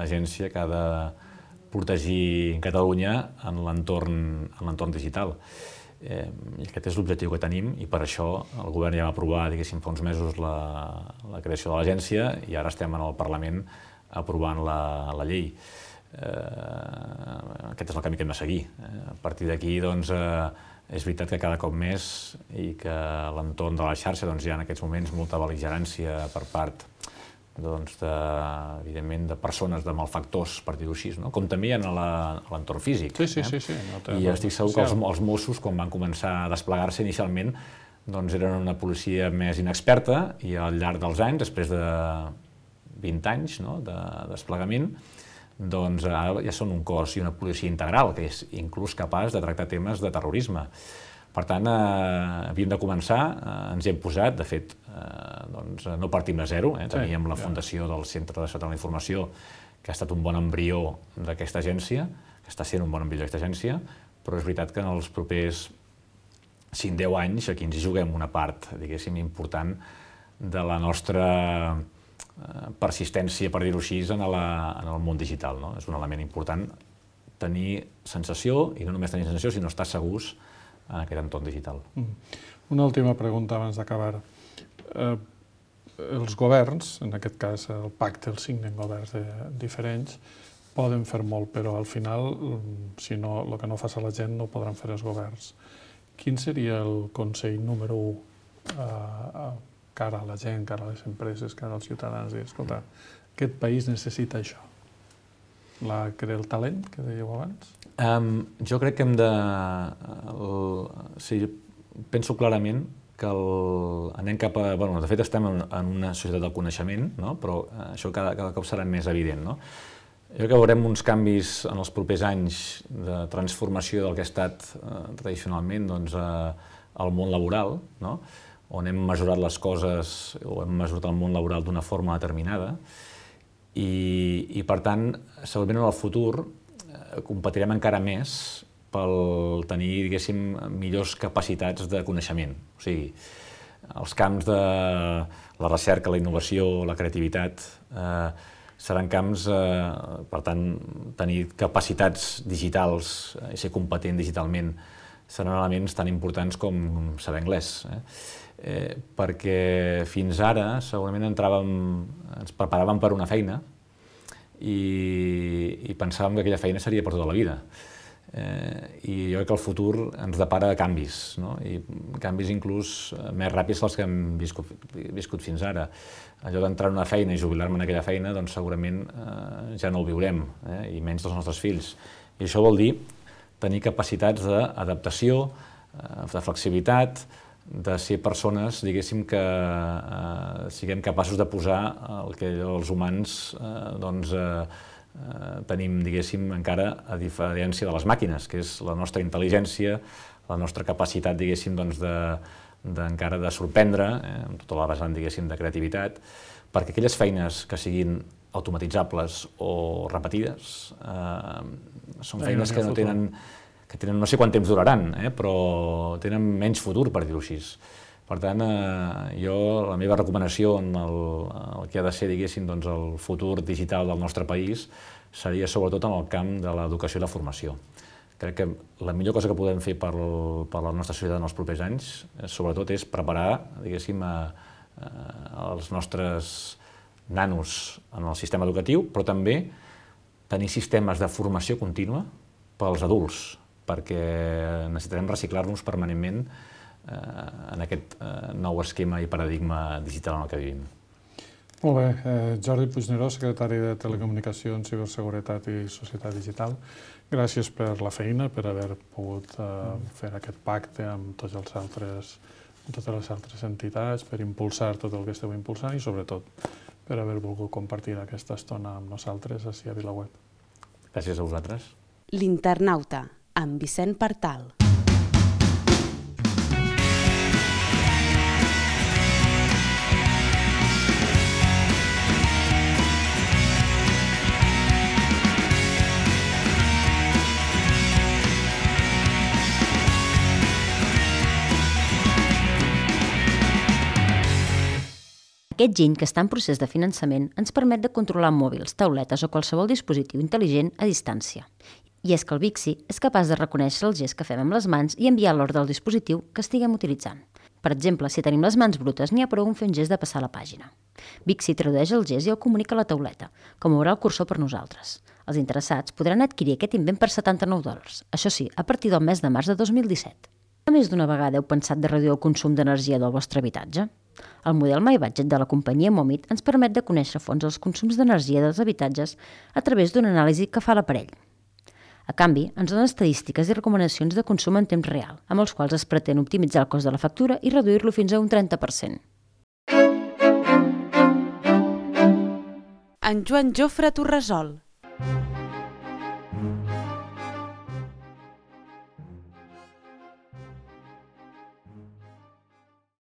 agència que ha de protegir Catalunya en l'entorn digital. Eh, I aquest és l'objectiu que tenim i per això el govern ja va aprovar, diguéssim, fa uns mesos la, la creació de l'agència i ara estem en el Parlament aprovant la, la llei. Eh, aquest és el camí que hem de seguir. Eh, a partir d'aquí, doncs, eh, és veritat que cada cop més i que a l'entorn de la xarxa doncs, hi ha en aquests moments molta bel·ligerància per part doncs, de, evidentment, de persones, de malfactors, per dir-ho així, no? Com també hi ha a l'entorn físic. Sí, sí, eh? sí, sí. No I estic segur que els, els Mossos, quan van començar a desplegar-se inicialment, doncs eren una policia més inexperta i al llarg dels anys, després de vint anys no? de desplegament, doncs ara ja són un cos i una policia integral, que és inclús capaç de tractar temes de terrorisme. Per tant, eh, havíem de començar, eh, ens hi hem posat, de fet, eh, doncs, no partim de zero, eh? Teníem sí, la fundació ja. del Centre de Seguretat de la Informació, que ha estat un bon embrió d'aquesta agència, que està sent un bon embrió d'aquesta agència, però és veritat que en els propers cinc a deu anys aquí ens hi juguem una part, diguéssim, important de la nostra persistència, per dir-ho així, en, la, en el món digital. No? És un element important tenir sensació, i no només tenir sensació, sinó estar segurs en aquest entorn digital. Una última pregunta abans d'acabar. Eh, els governs, en aquest cas el pacte, el signen governs de, diferents, poden fer molt, però al final, si no, el que no fa la gent no ho podran fer els governs. Quin seria el consell número u eh, cara a la gent, cara a les empreses, cara als ciutadans? Dir, escolta, aquest país necessita això. La, el talent, que dèieu abans? Um, jo crec que hem de... El, sí, penso clarament que el, anem cap a... Bueno, de fet, estem en, en una societat del coneixement, no? Però això cada, cada cop serà més evident. No? Jo crec que veurem uns canvis en els propers anys de transformació del que ha estat eh, tradicionalment doncs, eh, el món laboral, no? On hem mesurat les coses o hem mesurat el món laboral d'una forma determinada i, i per tant, segurament en el futur eh, competirem encara més pel tenir, diguéssim, millors capacitats de coneixement. O sigui, els camps de la recerca, la innovació, la creativitat, eh, seran camps, eh, per tant, tenir capacitats digitals i ser competent digitalment seran elements tan importants com saber anglès. Eh? Eh, perquè fins ara segurament entràvem, ens preparàvem per una feina i, i pensàvem que aquella feina seria per tota la vida. Eh, I jo crec que el futur ens depara canvis, no? I canvis inclús més ràpids dels que hem viscut, viscut fins ara. Allò d'entrar en una feina i jubilar-me en aquella feina, doncs segurament eh, ja no ho viurem, eh? I menys dels nostres fills. I això vol dir tenir capacitats d'adaptació, de flexibilitat, de ser persones, diguéssim, que eh, siguem capaços de posar el que els humans eh, doncs, eh, eh, tenim, diguéssim, encara a diferència de les màquines, que és la nostra intel·ligència, la nostra capacitat, diguéssim, doncs, de, de, encara de sorprendre, eh, amb tota la vessant, diguéssim, de creativitat, perquè aquelles feines que siguin automatitzables o repetides eh, són feines que no tenen, que tenen no sé quant temps duraran, eh, però tenen menys futur, per dir-ho així. Per tant, eh, jo, la meva recomanació en el, el que ha de ser, diguéssim, doncs, el futur digital del nostre país seria sobretot en el camp de l'educació i la formació. Crec que la millor cosa que podem fer per, per la nostra societat en els propers anys, eh, sobretot, és preparar, diguéssim, a, a, els nostres nanos en el sistema educatiu, però també tenir sistemes de formació contínua pels adults, perquè necessitarem reciclar-nos permanentment eh, en aquest eh, nou esquema i paradigma digital en el que vivim. Molt bé. Eh, Jordi Puigneró, secretari de Telecomunicacions, Ciberseguretat i Societat Digital, gràcies per la feina, per haver pogut eh, fer aquest pacte amb tots els altres, amb totes les altres entitats, per impulsar tot el que esteu impulsant i, sobretot, per haver volgut compartir aquesta estona amb nosaltres ací a VilaWeb. Gràcies a vosaltres. L'Internauta, amb Vicent Partal. Aquest giny, que està en procés de finançament, ens permet de controlar mòbils, tauletes o qualsevol dispositiu intel·ligent a distància. I és que el Vixi és capaç de reconèixer el gest que fem amb les mans i enviar l'ordre del dispositiu que estiguem utilitzant. Per exemple, si tenim les mans brutes, n'hi ha prou en fer un gest de passar la pàgina. Vixi tradueix el gest i el comunica a la tauleta, com veurà el cursor per nosaltres. Els interessats podran adquirir aquest invent per setanta-nou dòlars, això sí, a partir del mes de març de dos mil disset. A més d'una vegada heu pensat de reduir el consum d'energia del vostre habitatge? El model My Budget de la companyia Momit ens permet de conèixer a fons els consums d'energia dels habitatges a través d'una anàlisi que fa l'aparell. A canvi, ens donen estadístiques i recomanacions de consum en temps real, amb els quals es pretén optimitzar el cost de la factura i reduir-lo fins a un trenta per cent. En Joan Jofre Torresol.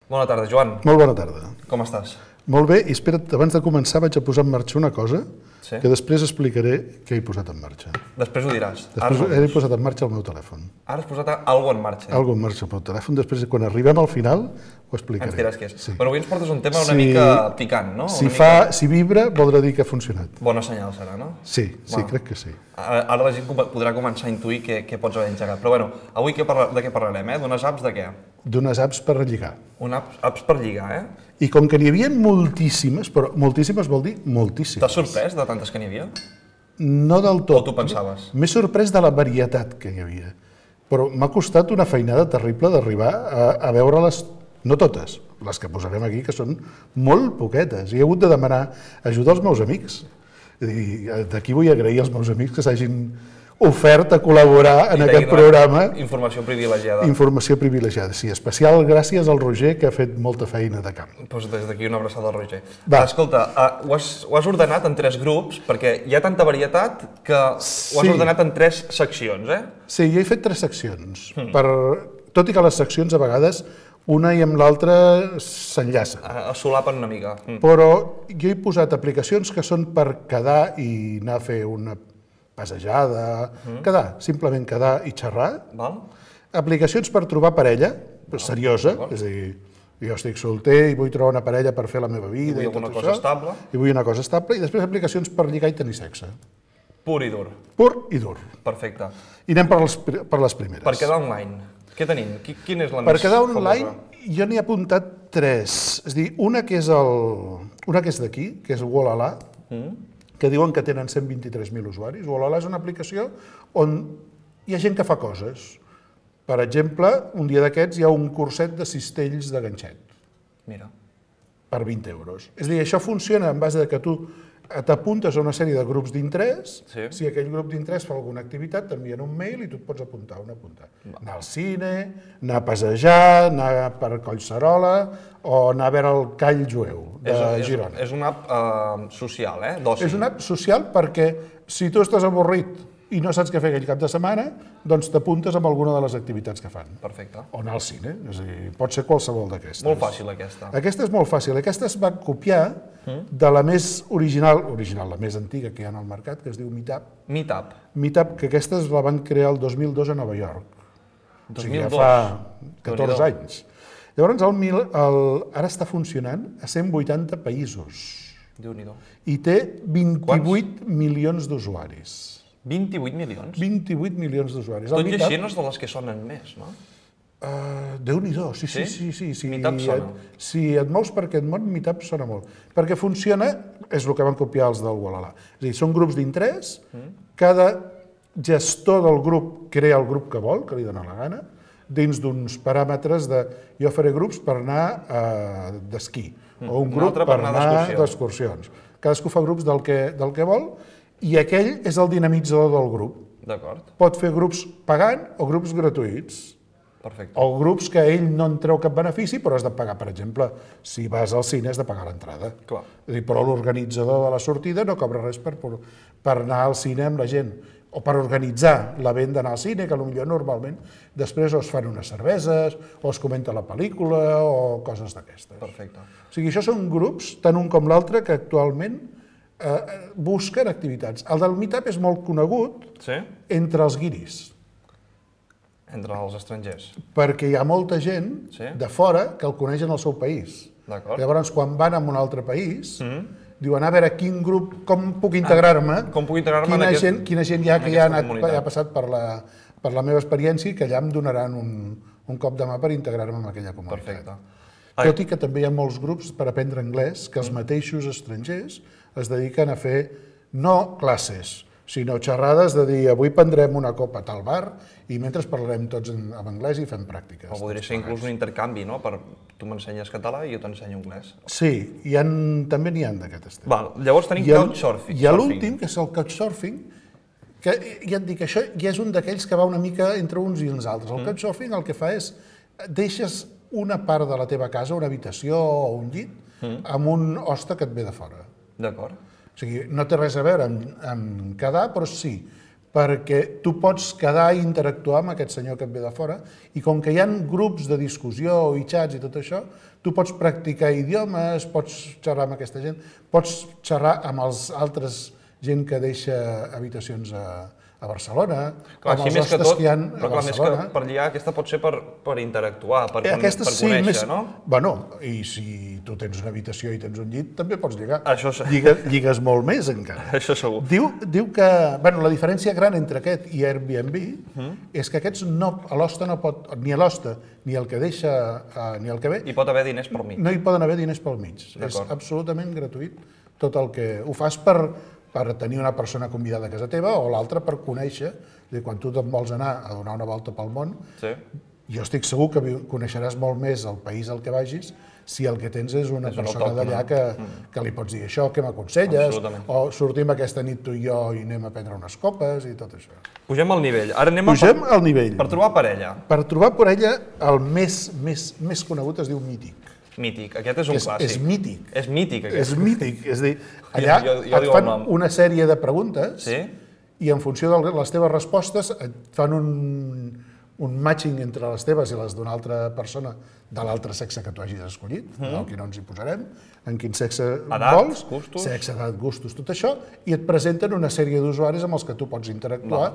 Bona tarda, Joan. Molt bona tarda. Com estàs? Molt bé, i espera't, abans de començar vaig a posar en marxa una cosa Sí. que després explicaré què he posat en marxa. Després ho diràs. Després Ara, he posat en marxa el meu telèfon. ara has posat alguna cosa en marxa. Algo en marxa al meu telèfon, després quan arribem al final ho explicaré. Ens diràs què és. Sí. Però avui ens portes un tema una Si- mica picant, no? Si, Una fa, mica... si vibra, voldrà dir que ha funcionat. Bona senyal serà, no? Sí, sí, Bueno. crec que sí. Ara, ara la gent com- podrà començar a intuir què, què pots haver engegat. Però bueno, avui què parla, de què parlarem, eh? D'unes apps de què? D'unes apps per relligar. Un apps, apps per lligar, eh? I com que n'hi havia moltíssimes, però moltíssimes vol dir moltíssimes. T'has sorprès de tantes que n'hi havia? No del tot. O tu pensaves? M'he sorprès de la varietat que hi havia. Però m'ha costat una feinada terrible d'arribar a, a veure-les, no totes, les que posarem aquí, que són molt poquetes. I he hagut de demanar ajuda als meus amics. És a dir, d'aquí vull agrair als meus amics que s'hagin ofert a col·laborar en I aquest t'hagi donat programa. Informació privilegiada. Informació privilegiada, sí. Especial gràcies al Roger, que ha fet molta feina de camp. Doncs des d'aquí una abraçada al Roger. Va. Escolta, uh, ho, has, ho has ordenat en tres grups, perquè hi ha tanta varietat que ho has Sí. ordenat en tres seccions, eh? Sí, jo he fet tres seccions. Per, tot i que les seccions a vegades una i amb l'altra s'enllacen. A, a solapen una mica. Mm. Però jo he posat aplicacions que són per quedar i anar a fer una passejada, quedar, simplement quedar i xerrar. Val? Aplicacions per trobar parella, seriosa, és a dir, jo estic solter i vull trobar una parella per fer la meva vida I i, vull tot alguna això. cosa estable. I vull una cosa estable. I després aplicacions per lligar i tenir sexe. Pur i dur. Pur i dur. Perfecte. I anem per les, per les primeres. Per quedar online, què tenim? Qui- Quina és la Per més quedar famosa? online, jo n'hi he apuntat tres. És a dir, una que és, el, una que és d'aquí, que és Wolala, que diuen que tenen cent vint-i-tres mil usuaris. Wolala és una aplicació on hi ha gent que fa coses. Per exemple, un dia d'aquests hi ha un curset de cistells de ganxet Mira. per vint euros. És a dir, això funciona en base de que tu t'apuntes a una sèrie de grups d'interès, Sí. si aquell grup d'interès fa alguna activitat, t'envien un mail i tu et pots apuntar on apuntar. Anar al cine, anar a passejar, anar per Collserola o anar a veure el Call Jueu de és, Girona. És, és una app uh, social, eh? D'oci. És una app social perquè si tu estàs avorrit i no saps què fer aquell cap de setmana, doncs t'apuntes amb alguna de les activitats que fan. Perfecte. O anar al cine, és a dir, pot ser qualsevol d'aquestes. Molt fàcil, aquesta. Aquesta és molt fàcil. Aquesta es va copiar de la més original, original, la més antiga que hi ha al mercat, que es diu Meetup. Meetup. Meetup, que aquestes la van crear el dos mil dos a Nova York. O sigui, ja dos mil dos. fa catorze Déu-n'hi-do. anys. Llavors, el, mil, el, ara està funcionant a cent vuitanta països Déu-n'hi-do. i té vint-i-vuit milions d'usuaris. vint-i-vuit milions. vint-i-vuit milions d'usuaris. El Tot i Meetup- així no és de les que sonen més, no? Uh, Déu-n'hi-do, sí, sí, Sí? sí. sí, sí. Meetup I sona. et- Si et mous per aquest món, Meetup sona molt. Perquè funciona, és el que van copiar els del Wolala. És a dir, són grups d'interès, cada gestor del grup crea el grup que vol, que li dona la gana, dins d'uns paràmetres de jo faré grups per anar uh, d'esquí, o un Un grup altre per per anar anar d'excursió. d'excursions. Cadascú fa grups del que, del que vol, i aquell és el dinamitzador del grup. D'acord. Pot fer grups pagant o grups gratuïts. Perfecte. O grups que ell no en treu cap benefici, però has de pagar, per exemple, si vas al cine has de pagar l'entrada. Clar. És a dir, però l'organitzador de la sortida no cobra res per, per anar al cine amb la gent, o per organitzar l'event d'anar al cine, que potser normalment després o es fan unes cerveses, o es comenta la pel·lícula, o coses d'aquestes. Perfecte. O sigui, això són grups, tant un com l'altre, que actualment eh, busquen activitats. El del Meetup és molt conegut Sí? entre els guiris, Entre els estrangers. perquè hi ha molta gent Sí. de fora que el coneix en el seu país. D'acord. Llavors, quan van a un altre país, diuen, a veure, quin grup, com puc integrar-me, Ah, com puc integrar-me en quina, aquest- gent, quina gent hi ha en que ja ha, aquesta anat, comunitat. ha passat per la, per la meva experiència i que allà em donaran un, un cop de mà per integrar-me en aquella comunitat. Perfecte. Tot i que també hi ha molts grups per aprendre anglès que els Mm. mateixos estrangers es dediquen a fer no classes, sinó xerrades de dir avui prendrem una copa a tal bar i mentre parlarem tots en, en anglès i fem pràctiques. O podria ser inclús un intercanvi, no? Per, tu m'ensenyes català i jo t'ensenyo anglès. Sí, hi ha, també n'hi ha d'aquest estil. Val, llavors tenim I el- couchsurfing. I a l'últim, que és el couchsurfing, que ja et dic, això ja és un d'aquells que va una mica entre uns i els altres. El couchsurfing el que fa és, deixes una part de la teva casa, una habitació o un llit, amb un hoste que et ve de fora. D'acord. O sigui, no té res a veure amb, amb quedar, però sí, perquè tu pots quedar i interactuar amb aquest senyor que et ve de fora i com que hi ha grups de discussió i xats i tot això, tu pots practicar idiomes, pots xerrar amb aquesta gent, pots xerrar amb els altres gent que deixa habitacions a, a Barcelona, clar, amb els més que hostes tot, que hi ha però a clar, més Barcelona. que per lligar, aquesta pot ser per, per interactuar, per, con Aquesta, per sí, conèixer, més, no? Bueno, i si tu tens una habitació i tens un llit, també pots lligar. Això sí. Lligues, lligues molt més, encara. Això segur. Diu, diu que bueno, la diferència gran entre aquest i Airbnb uh-huh. és que aquests no, a l'hoste no pot, ni a l'hoste, ni el que deixa, uh, ni el que ve, Hi pot haver diners pel mig. no hi poden haver diners pel mig. És absolutament gratuït tot el que ho fas per, per tenir una persona convidada a casa teva o l'altra per conèixer. És a dir, quan tu te'n vols anar a donar una volta pel món, Sí. jo estic segur que coneixeràs molt més el país al que vagis si el que tens és una És un persona autòcton. d'allà que, que li pots dir això, què m'aconselles, Absolutament. o sortim aquesta nit tu i jo i anem a prendre unes copes i tot això. Pugem al nivell. Ara anem a Pugem per, al nivell. per trobar parella. Per trobar per ella, el més, més, més conegut es diu mític. Mític. Aquest és un És, clàssic. és mític. És mític, aquest. És mític. És a dir, allà Jo- jo- jo et diu el fan nom. una sèrie de preguntes Sí? i en funció de les teves respostes et fan un, un matching entre les teves i les d'una altra persona de l'altre sexe que tu hagis escollit, mm. aquí no ens hi posarem, en quin sexe Edat, vols, gustos. sexe, edat, gustos, tot això, i et presenten una sèrie d'usuaris amb els que tu pots interactuar,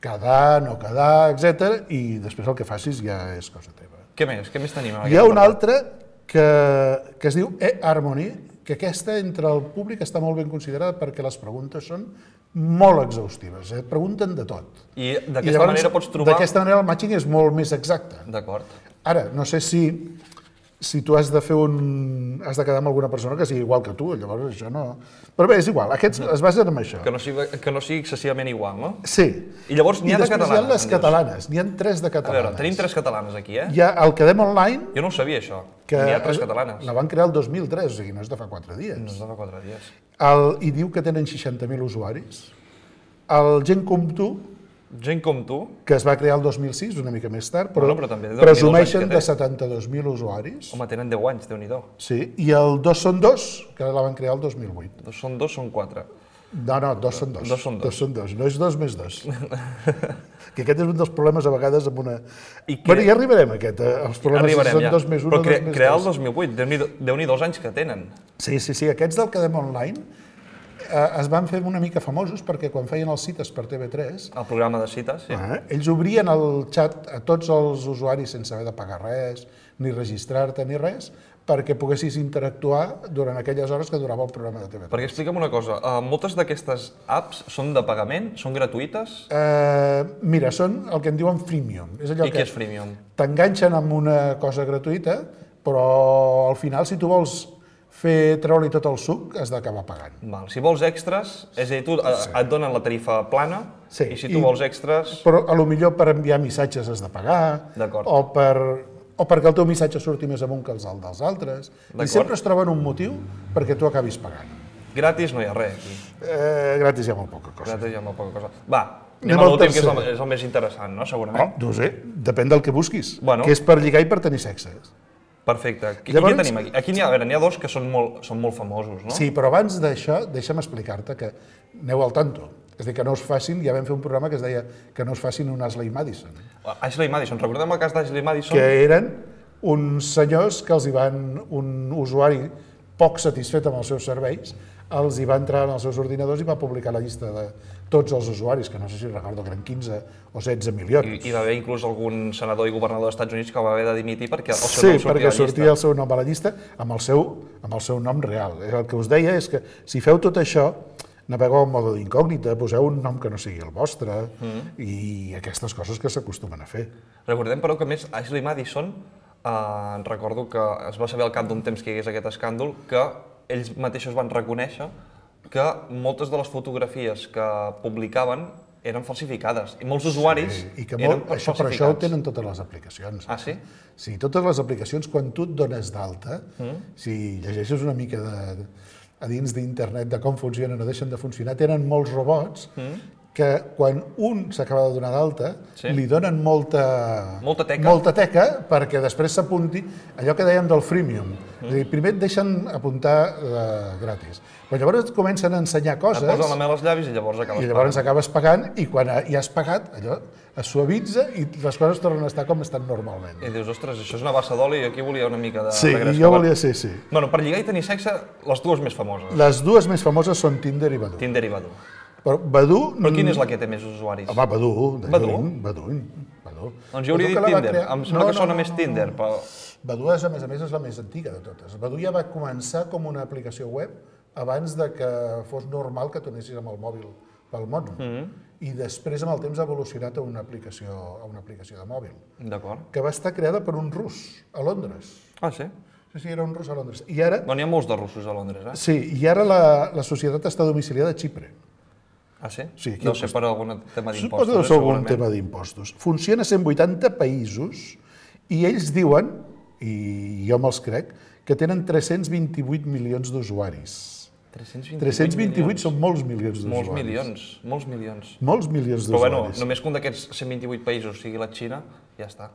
quedar, no quedar, etcètera, i després el que facis ja és cosa teva. Què més? Què més tenim? en Hi ha aquest una apartat? altra que, que es diu eHarmony, que aquesta entre el públic està molt ben considerada perquè les preguntes són molt exhaustives, eh? pregunten de tot. I I d'aquesta llavors, manera pots trobar... D'aquesta manera el matching és molt més exacte. D'acord. Ara, no sé si, si tu has de fer un... has de quedar amb alguna persona que sigui igual que tu, llavors això no... Però bé, és igual, aquests es basen en això. Que no sigui, que no sigui excessivament igual, no? Sí. I llavors n'hi ha de després catalanes, hi ha les em dius? catalanes, n'hi ha tres de A catalanes. veure, tenim tres catalanes aquí, eh? Hi ha el Quedem Online, Jo no ho sabia, això. que N'hi ha tres catalanes. la van crear el dos mil tres, o sigui, no és de fa quatre dies. No és de fa quatre dies. El, I diu que tenen seixanta mil usuaris. El Gent com tu, Gent com tu, que es va crear el dos mil sis, una mica més tard, però, Bueno, però també Déu-n'hi-do els presumeixen anys que de té. setanta-dos mil usuaris. home, tenen deu anys, Déu-n'hi-do. Sí, i el Dos són dos, que la van crear el dos mil vuit. Dos són dos, són quatre. No, no, dos són dos. Dos són dos. Dos són dos, no és dos més dos. Que aquest és un dels problemes a vegades amb una... I que- Bueno, ja arribarem a aquest, eh? els problemes Arribarem, si són ja. dos més un Però o cre dos més crear el dos. dos mil vuit, Déu-n'hi-do Déu-n'hi-do els anys que tenen. Sí, sí, sí, aquests del Quedem Online eh, es van fer una mica famosos perquè quan feien els cites per T V tres, El programa de cites, sí. eh, ells obrien el xat a tots els usuaris sense haver de pagar res, ni registrar-te ni res, perquè poguessis interactuar durant aquelles hores que durava el programa de T V tres. Perquè explica'm una cosa, uh, moltes d'aquestes apps són de pagament, són gratuïtes? Eh, mira, són el que en diuen freemium. És allò I que què és freemium? t'enganxen amb una cosa gratuïta, però al final, si tu vols fer treure-li tot el suc, has d'acabar pagant. Val. Si vols extras, és a dir, tu sí. et donen la tarifa plana, Sí, i si tu i- vols extras... Però a lo millor per enviar missatges has de pagar, D'acord. o, per, o perquè el teu missatge surti més amunt que els del- dels altres. I D'acord. sempre es troben un motiu perquè tu acabis pagant. Gratis no hi ha res aquí. Eh, gratis hi ha molt poca cosa. Gratis hi ha molt poca cosa. Va, Anem anem a al l'últim, que és el, tercer. és el més interessant, no? Oh, Segurament. no ho sé, depèn del que busquis, Bueno. que és per lligar i per tenir sexe. Perfecte. Qui, Llavors- Llavors... Què tenim aquí? Aquí n'hi ha, a veure, n'hi ha dos que són molt, són molt famosos, no? Sí, però abans d'això, deixa'm explicar-te que aneu al tanto. És a dir, que no us facin, ja vam fer un programa que es deia que no us facin un Ashley Madison, Ashley Madison, recordem el cas d'Ashley Madison? que eren uns senyors que els hi van, un usuari poc satisfet amb els seus serveis, els hi va entrar en els seus ordinadors i va publicar la llista de tots els usuaris, que no sé si recordo que eren quinze o setze milions. I, I va haver inclús algun senador i governador dels Estats Units que va haver de dimitir perquè el seu Sí, nom sortia perquè a la llista. sortia el seu nom a la llista amb el seu, amb el seu nom real. El que us deia és que si feu tot això, navegueu en mode d'incògnita, poseu un nom que no sigui el vostre mm. i aquestes coses que s'acostumen a fer. Recordem, però, que a més Ashley Madison, eh, recordo que es va saber al cap d'un temps que hi hagués aquest escàndol, que ells mateixos van reconèixer que moltes de les fotografies que publicaven eren falsificades i molts usuaris Sí, I que eren molt, això, però això ho falsificats. tenen totes les aplicacions. Ah, sí? Sí, totes les aplicacions, quan tu et dones d'alta, mm. si llegeixes una mica de, a dins d'internet de com funcionen o deixen de funcionar, tenen molts robots mm. que quan un s'acaba de donar d'alta, Sí. li donen molta, Molta teca. molta teca perquè després s'apunti allò que dèiem del freemium. Mm. És a dir, primer et deixen apuntar eh, gratis, però llavors et comencen a ensenyar Et coses posen la mel als llavis i llavors acabes i llavors pagant. acabes pagant i quan ja has pagat allò es suavitza i les coses tornen a estar com estan normalment. I dius, ostres, això és una bassa d'oli i aquí volia una mica de Sí, regresca. jo volia ser, sí. Bueno, per lligar i tenir sexe, les dues més famoses. Les dues més famoses són Tinder i Badoo. Tinder i Badoo. Però Badoo... Però quina és la que té més usuaris? Home, Badoo. de Badoo? lluny, Badoo. Badoo. Doncs jo hauria Badoo dit que la va Tinder. crear- Em sembla que sona més Tinder, però... Badoo, és, a més a més, és la més antiga de totes. Badoo ja va començar com una aplicació web abans de que fos normal que tornessis amb el mòbil pel món. Mm-hmm. I després, amb el temps, ha evolucionat a una aplicació, a una aplicació de mòbil, D'acord. que va estar creada per un rus, a Londres. Ah, sí? Sí, sí, era un rus a Londres. I ara, Bueno, hi ha molts de russos a Londres, eh? sí, i ara la, la societat està domiciliada a Xipre. Ah, sí? Sí, aquí Deu al ser costat. per algun tema d'impostos, Suposo que deu eh, ser algun segurament. tema d'impostos. Funciona a cent vuitanta països i ells diuen, i jo me'ls crec, que tenen tres-cents vint-i-vuit milions d'usuaris. tres-cents vint-i-vuit són molts milions d'usuaris. Molts milions, molts milions. Molts milions Però bueno, d'usuaris. només que un d'aquests cent vint-i-vuit països sigui la Xina, ja està.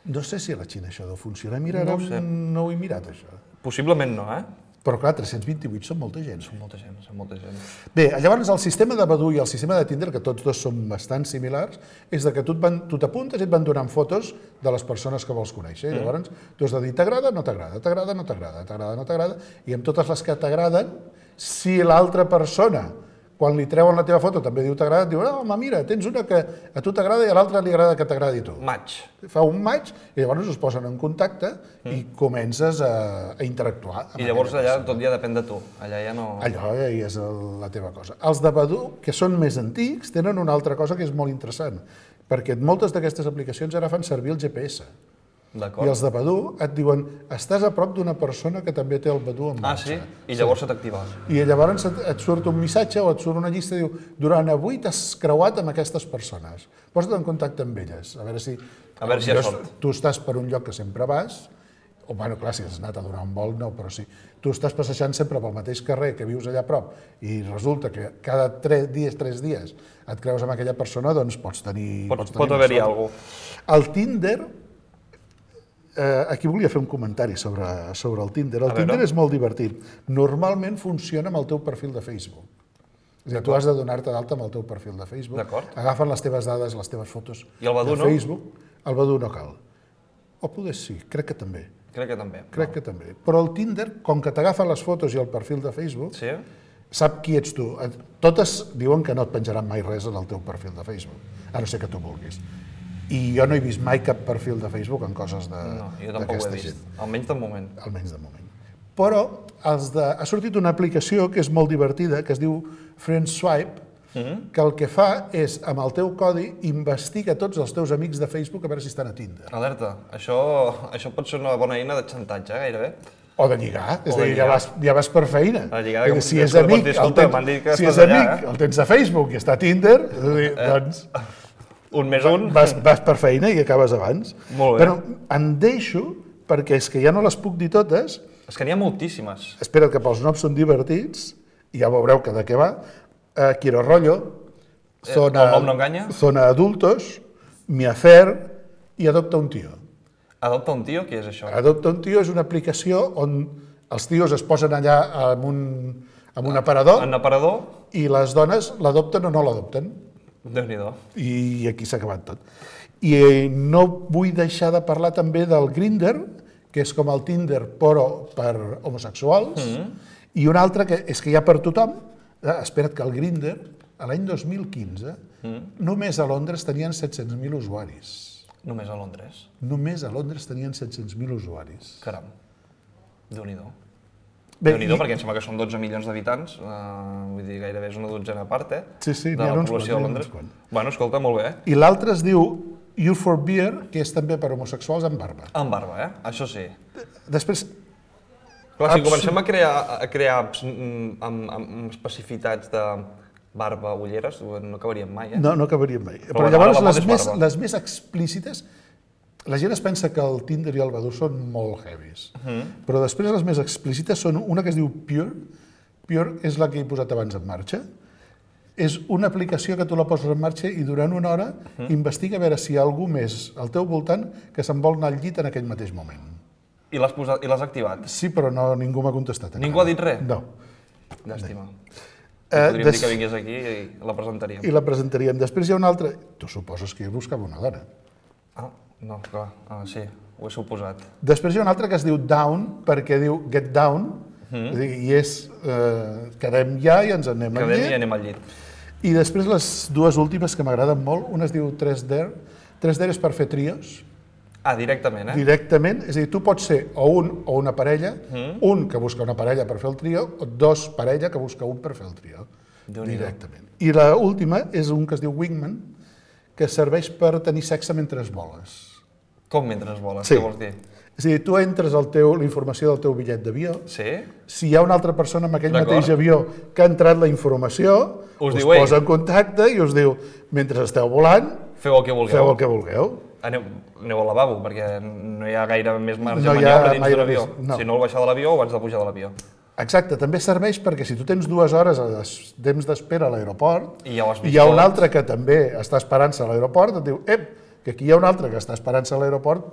No sé si a la Xina això deu funcionar. Mira, ara No ho sé. no ho he mirat, això. Possiblement no, eh? Però clar, tres-cents vint-i-vuit són molta gent. Són molta gent, són molta gent. Bé, llavors el sistema de Badoo i el sistema de Tinder, que tots dos són bastant similars, és de que tu et van- tu t'apuntes i et van donant fotos de les persones que vols conèixer. I llavors tu has de dir t'agrada, no t'agrada, t'agrada, no t'agrada, t'agrada, no t'agrada, i amb totes les que t'agraden, si l'altra persona, quan li treuen la teva foto, també diu t'agrada, et diu, no, home, mira, tens una que a tu t'agrada i a l'altre li agrada que t'agradi a tu. Match. Fa un match i llavors us posen en contacte i comences a, a interactuar. amb I llavors aquella allà tot ja depèn de tu. Allà ja no... allò ja és el, la teva cosa. Els de Badoo, que són més antics, tenen una altra cosa que és molt interessant, perquè moltes d'aquestes aplicacions ara fan servir el G P S. I D'acord. els de Badoo et diuen, estàs a prop d'una persona que també té el Badoo en Ah, marxa. sí? I llavors se t'activa. I llavors et, et surt un missatge o et surt una llista i diu, durant avui t'has creuat amb aquestes persones. Posa't en contacte amb elles, a veure si... A veure si hi ha potser sort. Tu estàs per un lloc que sempre vas, o bueno, clar, si has anat a donar un vol, no, però sí. Tu estàs passejant sempre pel mateix carrer que vius allà a prop i resulta que cada tres dies, tres dies et creus amb aquella persona, doncs pots tenir... Pot, pots pot tenir haver-hi sort. alguna cosa. El Tinder, eh, aquí volia fer un comentari sobre, sobre el Tinder. El A veure. Tinder és molt divertit. Normalment funciona amb el teu perfil de Facebook. És a dir, tu has de donar-te d'alta amb el teu perfil de Facebook. D'acord. Agafen les teves dades, les teves fotos I el Badoo de no? Facebook. El Badoo no cal. O poder sí, crec que també. Crec que també. Crec que també. Però el Tinder, com que t'agafa les fotos i el perfil de Facebook, Sí? sap qui ets tu. Totes diuen que no et penjaran mai res en el teu perfil de Facebook, a no ser que tu vulguis. I jo no he vist mai cap perfil de Facebook en coses de No, jo tampoc ho he d'aquesta vist. gent, Almenys de moment. almenys de moment. Però els de... ha sortit una aplicació que és molt divertida, que es diu FriendSwipe, Mm-hmm. que el que fa és, amb el teu codi, investiga tots els teus amics de Facebook a veure si estan a Tinder. Alerta, això, això pot ser una bona eina de xantatge, eh, gairebé. O de lligar, és O a de dir, ja lligar. vas, ja vas per feina. De lligar, És a dir, com- si és com pots amic, dir, el escolta, tens, m'han dit que si estàs és allà, amic, eh? el tens a Facebook i està a Tinder, és a dir, doncs Un més un. vas, vas per feina i acabes abans. Molt bé. Però em deixo, perquè és que ja no les puc dir totes, És que n'hi ha moltíssimes. espera que pels noms són divertits, i ja veureu que de què va, uh, Quiero Rollo, Zona, el nom no enganya? Zona Adultos, Mi Afer i Adopta un Tio. Adopta un tio, què és això? Adopta un Tio és una aplicació on els tios es posen allà amb un, amb un aparador En aparador, i les dones l'adopten o no l'adopten. Déu-n'hi-do. I aquí s'ha acabat tot. I eh, no vull deixar de parlar també del Grindr, que és com el Tinder però per homosexuals, i un altre que és que hi ha per tothom. Eh, espera't que el Grindr, a l'any dos mil quinze, només a Londres tenien set-cents mil usuaris. Només a Londres. Només a Londres tenien set-cents mil usuaris. Caram. Déu-n'hi-do. Bé, Déu-n'hi-do, i- perquè em sembla que són dotze milions d'habitants, uh, vull dir, gairebé és una dotzena part, eh? Sí, sí, de n'hi ha la uns població quants, de n'hi ha Londres. uns quants. Bueno, escolta, molt bé. I l'altre es diu You for Beer, que és també per homosexuals amb barba. Amb barba, eh? Això sí. Després, Clar, si Absolut- comencem a crear, a crear mm, amb, amb especificitats de barba, ulleres, no acabaríem mai, eh? no, no acabaríem mai. Però, bueno, llavors, ara la moda les és més, barba. les més explícites, la gent es pensa que el Tinder i el Badoo són molt heavies, però després les més explícites són una que es diu Pure. Pure és la que he posat abans en marxa. És una aplicació que tu la poses en marxa i durant una hora investiga a veure si hi ha algú més al teu voltant que se'n vol anar al llit en aquell mateix moment. I l'has posat, i l'has activat? Sí, però no, ningú m'ha contestat. Ningú ha dit res? No. Llàstima. Eh, Podríem des- dir que vingués aquí i la presentaríem. I la presentaríem. Després hi ha una altra... Tu suposes que jo buscava una dona. Ah, no, clar, ah, sí, ho he suposat. Després hi ha una altra que es diu Down, perquè diu Get Down, és a dir, i és eh, quedem ja i ens anem al Quedem i llit. anem al llit. I després les dues últimes que m'agraden molt, una es diu tres D. tres D és per fer trios, Ah, directament, eh? directament, és a dir, tu pots ser o un o una parella, un que busca una parella per fer el trio, o dos parella que busca un per fer el trio, Déu-n'hi-do. directament. I l'última és un que es diu Wingman, que serveix per tenir sexe mentre es voles. Com mentre es voles? Sí. Què vols dir? És a dir, tu entres al teu, la informació del teu bitllet d'avió, Sí? si hi ha una altra persona amb aquell D'acord. mateix avió que ha entrat la informació, Us us diu, "Ei". posa en contacte i us diu, mentre esteu volant, Feu el que vulgueu. feu el que vulgueu. Aneu, aneu al lavabo, perquè no hi ha gaire més marge No de hi ha maniobra dins gaire d'un avió. més- no. Si no, al baixar de l'avió o abans de pujar de l'avió. Exacte, també serveix perquè si tu tens dues hores de des- temps d'espera a l'aeroport I ja ho has vist hi ha un tot. altre que també està esperant-se a l'aeroport, et diu, ep, que aquí hi ha un altre que està esperant-se a l'aeroport,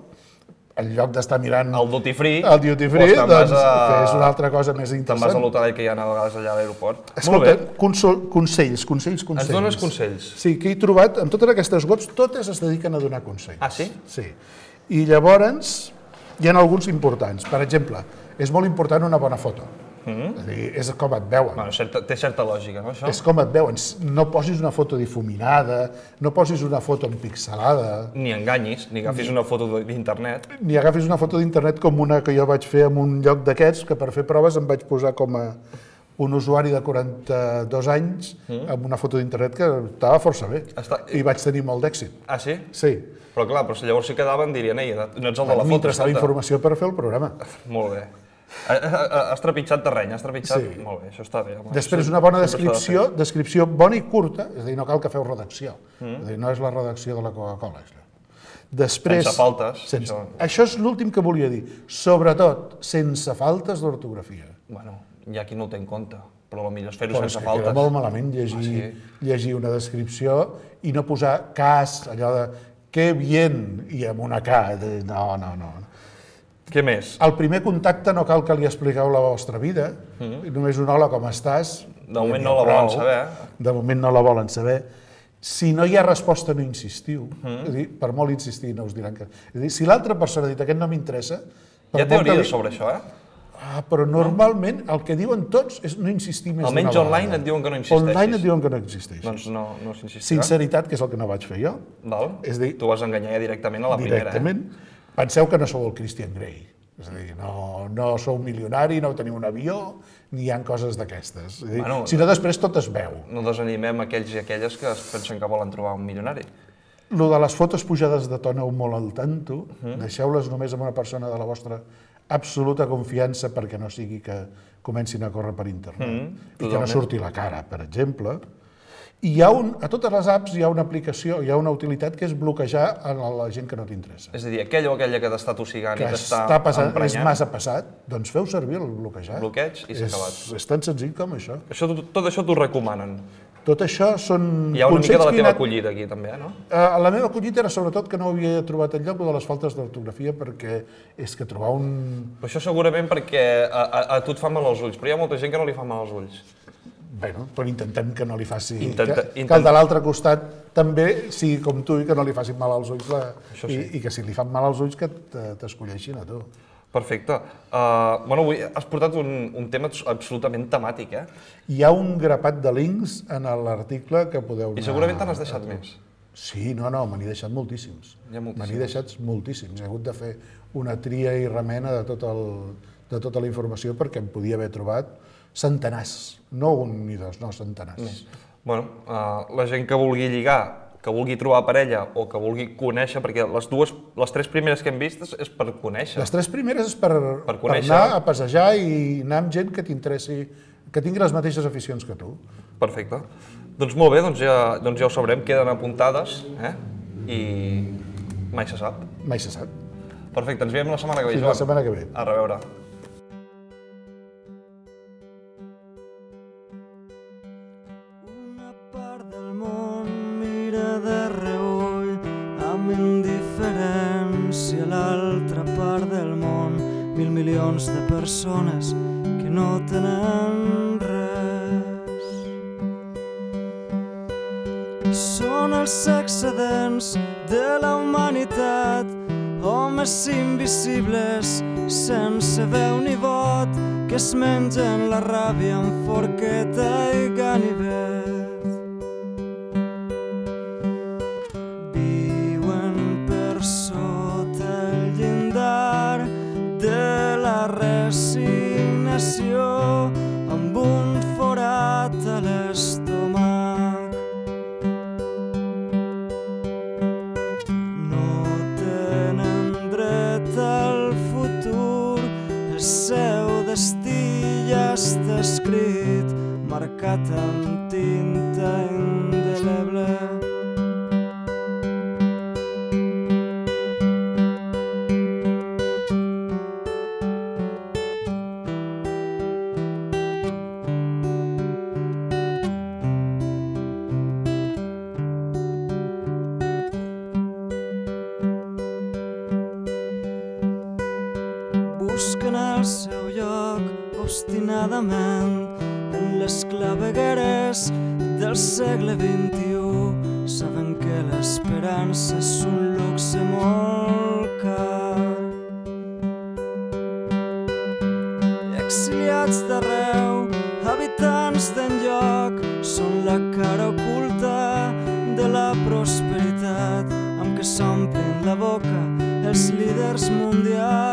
en lloc d'estar mirant El duty free, el duty free, doncs te'n vas doncs a- fes una altra cosa més te'n vas a interessant. l'hotel que hi ha a vegades allà a l'aeroport. Molt Escolta, bé. consol, consells, consells, consells. Ens dones consells? Sí, que he trobat, en totes aquestes webs, totes es dediquen a donar consells. Ah, sí? Sí. I llavors, hi ha alguns importants. Per exemple, és molt important una bona foto. Mm-hmm. És a dir, és com et veuen. Bueno, certa, té certa lògica, no, això? És com et veuen. No posis una foto difuminada, no posis una foto empixelada, Ni enganyis, ni agafis una foto d'internet. ni agafis una foto d'internet com una que jo vaig fer en un lloc d'aquests, que per fer proves em vaig posar com a un usuari de quaranta-dos anys amb una foto d'internet que estava força bé. Està- I vaig tenir molt d'èxit. Ah, sí? Sí. Però clar, però si llavors si quedaven dirien, ei, no ets el de la foto, M'interessava escolta. informació per fer el programa. Molt bé. Ha- ha- Has trepitjat terreny, has trepitjat... Sí. Molt bé, això està bé. Home. Després, Això una bona sempre s'ha de descripció, fer. descripció bona i curta, és a dir, no cal que feu redacció. És a dir, no és la redacció de la Coca-Cola. Això. Després, Sense faltes, Sense, això. això és l'últim que volia dir. Sobretot, sense faltes d'ortografia. Bueno, hi ha qui no ho té en compte, però el millor és fer-ho Però és sense que queda faltes. molt malament llegir, Ah, llegir una descripció i no posar cas, allò de que bien, i amb una K. de- No, no, no. Què més? Al primer contacte no cal que li expliqueu la vostra vida, només un hola, com estàs. De moment no la volen saber. De moment no la volen saber. Si no hi ha resposta, no insistiu. És a dir, per molt insistir, no us diran que... És a dir, si l'altra persona ha dit aquest no m'interessa... per Hi ha molt que teories li- sobre això, eh? Ah, però normalment el que diuen tots és no insistir més Almenys d'una vegada. online et diuen que no insisteixis. Online et diuen que no existeixis. Doncs no, no s'insistirà. Sinceritat, que és el que no vaig fer jo. Val? És a dir, Tu vas enganyar ja directament a la primera, directament. Penseu que no sou el Christian Grey. És a dir, no, no sou milionari, no teniu un avió, ni hi ha coses d'aquestes. És a dir, Bueno, si no, després tot es veu. eh? No desanimem aquells i aquelles que es pensen que volen trobar un milionari. Lo de les fotos pujades de to, aneu molt al tanto, deixeu-les només amb una persona de la vostra absoluta confiança perquè no sigui que comencin a córrer per internet i que no totalment. surti la cara, per exemple. I hi ha un, a totes les apps hi ha una aplicació, hi ha una utilitat que és bloquejar a la gent que no t'interessa. És a dir, aquell o aquella que t'està tossegant Que i t'està està passant, és emprenyant, massa passat, doncs feu servir el bloquejar. bloqueig i s'ha És, acabat. és tan senzill com això. Això, tot, tot això t'ho recomanen. Tot això són Hi ha una mica de la consells que he teva anat- acollida aquí, també, no? Eh, La meva collita era sobretot que no havia trobat enlloc lo de les faltes d'ortografia perquè és que trobar un... Però això segurament perquè a, a, a tu et fa mal als ulls, però hi ha molta gent que no li fa mal als ulls. Bueno, però intentem que no li faci... Intenta- que, que intent- el de l'altre costat també sigui com tu i que no li facin mal als ulls la, Això i, sí. i que si li fan mal als ulls que te- t'escolleixin a tu. Perfecte. Uh, bueno, avui has portat un, un tema absolutament temàtic, eh? Hi ha un grapat de links en l'article que podeu anar... I segurament te n'has deixat més. Sí, no, no, me n'he deixat moltíssims. Hi ha moltíssims. Me n'he deixat moltíssims. He hagut de fer una tria i remena de, tot el, de tota la informació perquè em podia haver trobat centenars. No un ni dos, no, centenars. Bueno, uh, la gent que vulgui lligar, que vulgui trobar parella o que vulgui conèixer, perquè les dues, les tres primeres que hem vist és, és per conèixer. Les tres primeres és per, Per per, conèixer. anar a passejar i anar amb gent que t'interessi, que tingui les mateixes aficions que tu. Perfecte. Doncs molt bé, doncs ja, doncs ja ho sabrem, queden apuntades, eh? I mai se sap. Mai se sap. Perfecte, ens veiem la setmana que ve, Fins Joan. la setmana que ve. A reveure. Una si a l'altra part del món mil milions de persones que no tenen res. Són els excedents de la humanitat, homes invisibles sense veu ni vot, que es mengen la ràbia amb forqueta i ganivet. Viuen per sota el llindar de la resignació, amb un forat a l'estómac. No tenen dret al futur, el seu destí ja està escrit, marcat amb tinta indeleble. Busquen el seu lloc obstinadament en les clavegueres del segle vint-i-u. Saben que l'esperança és un luxe molt car. Exiliats d'arreu, habitants d'enlloc, són la cara oculta de la prosperitat amb què s'omplen la boca els líders mundials.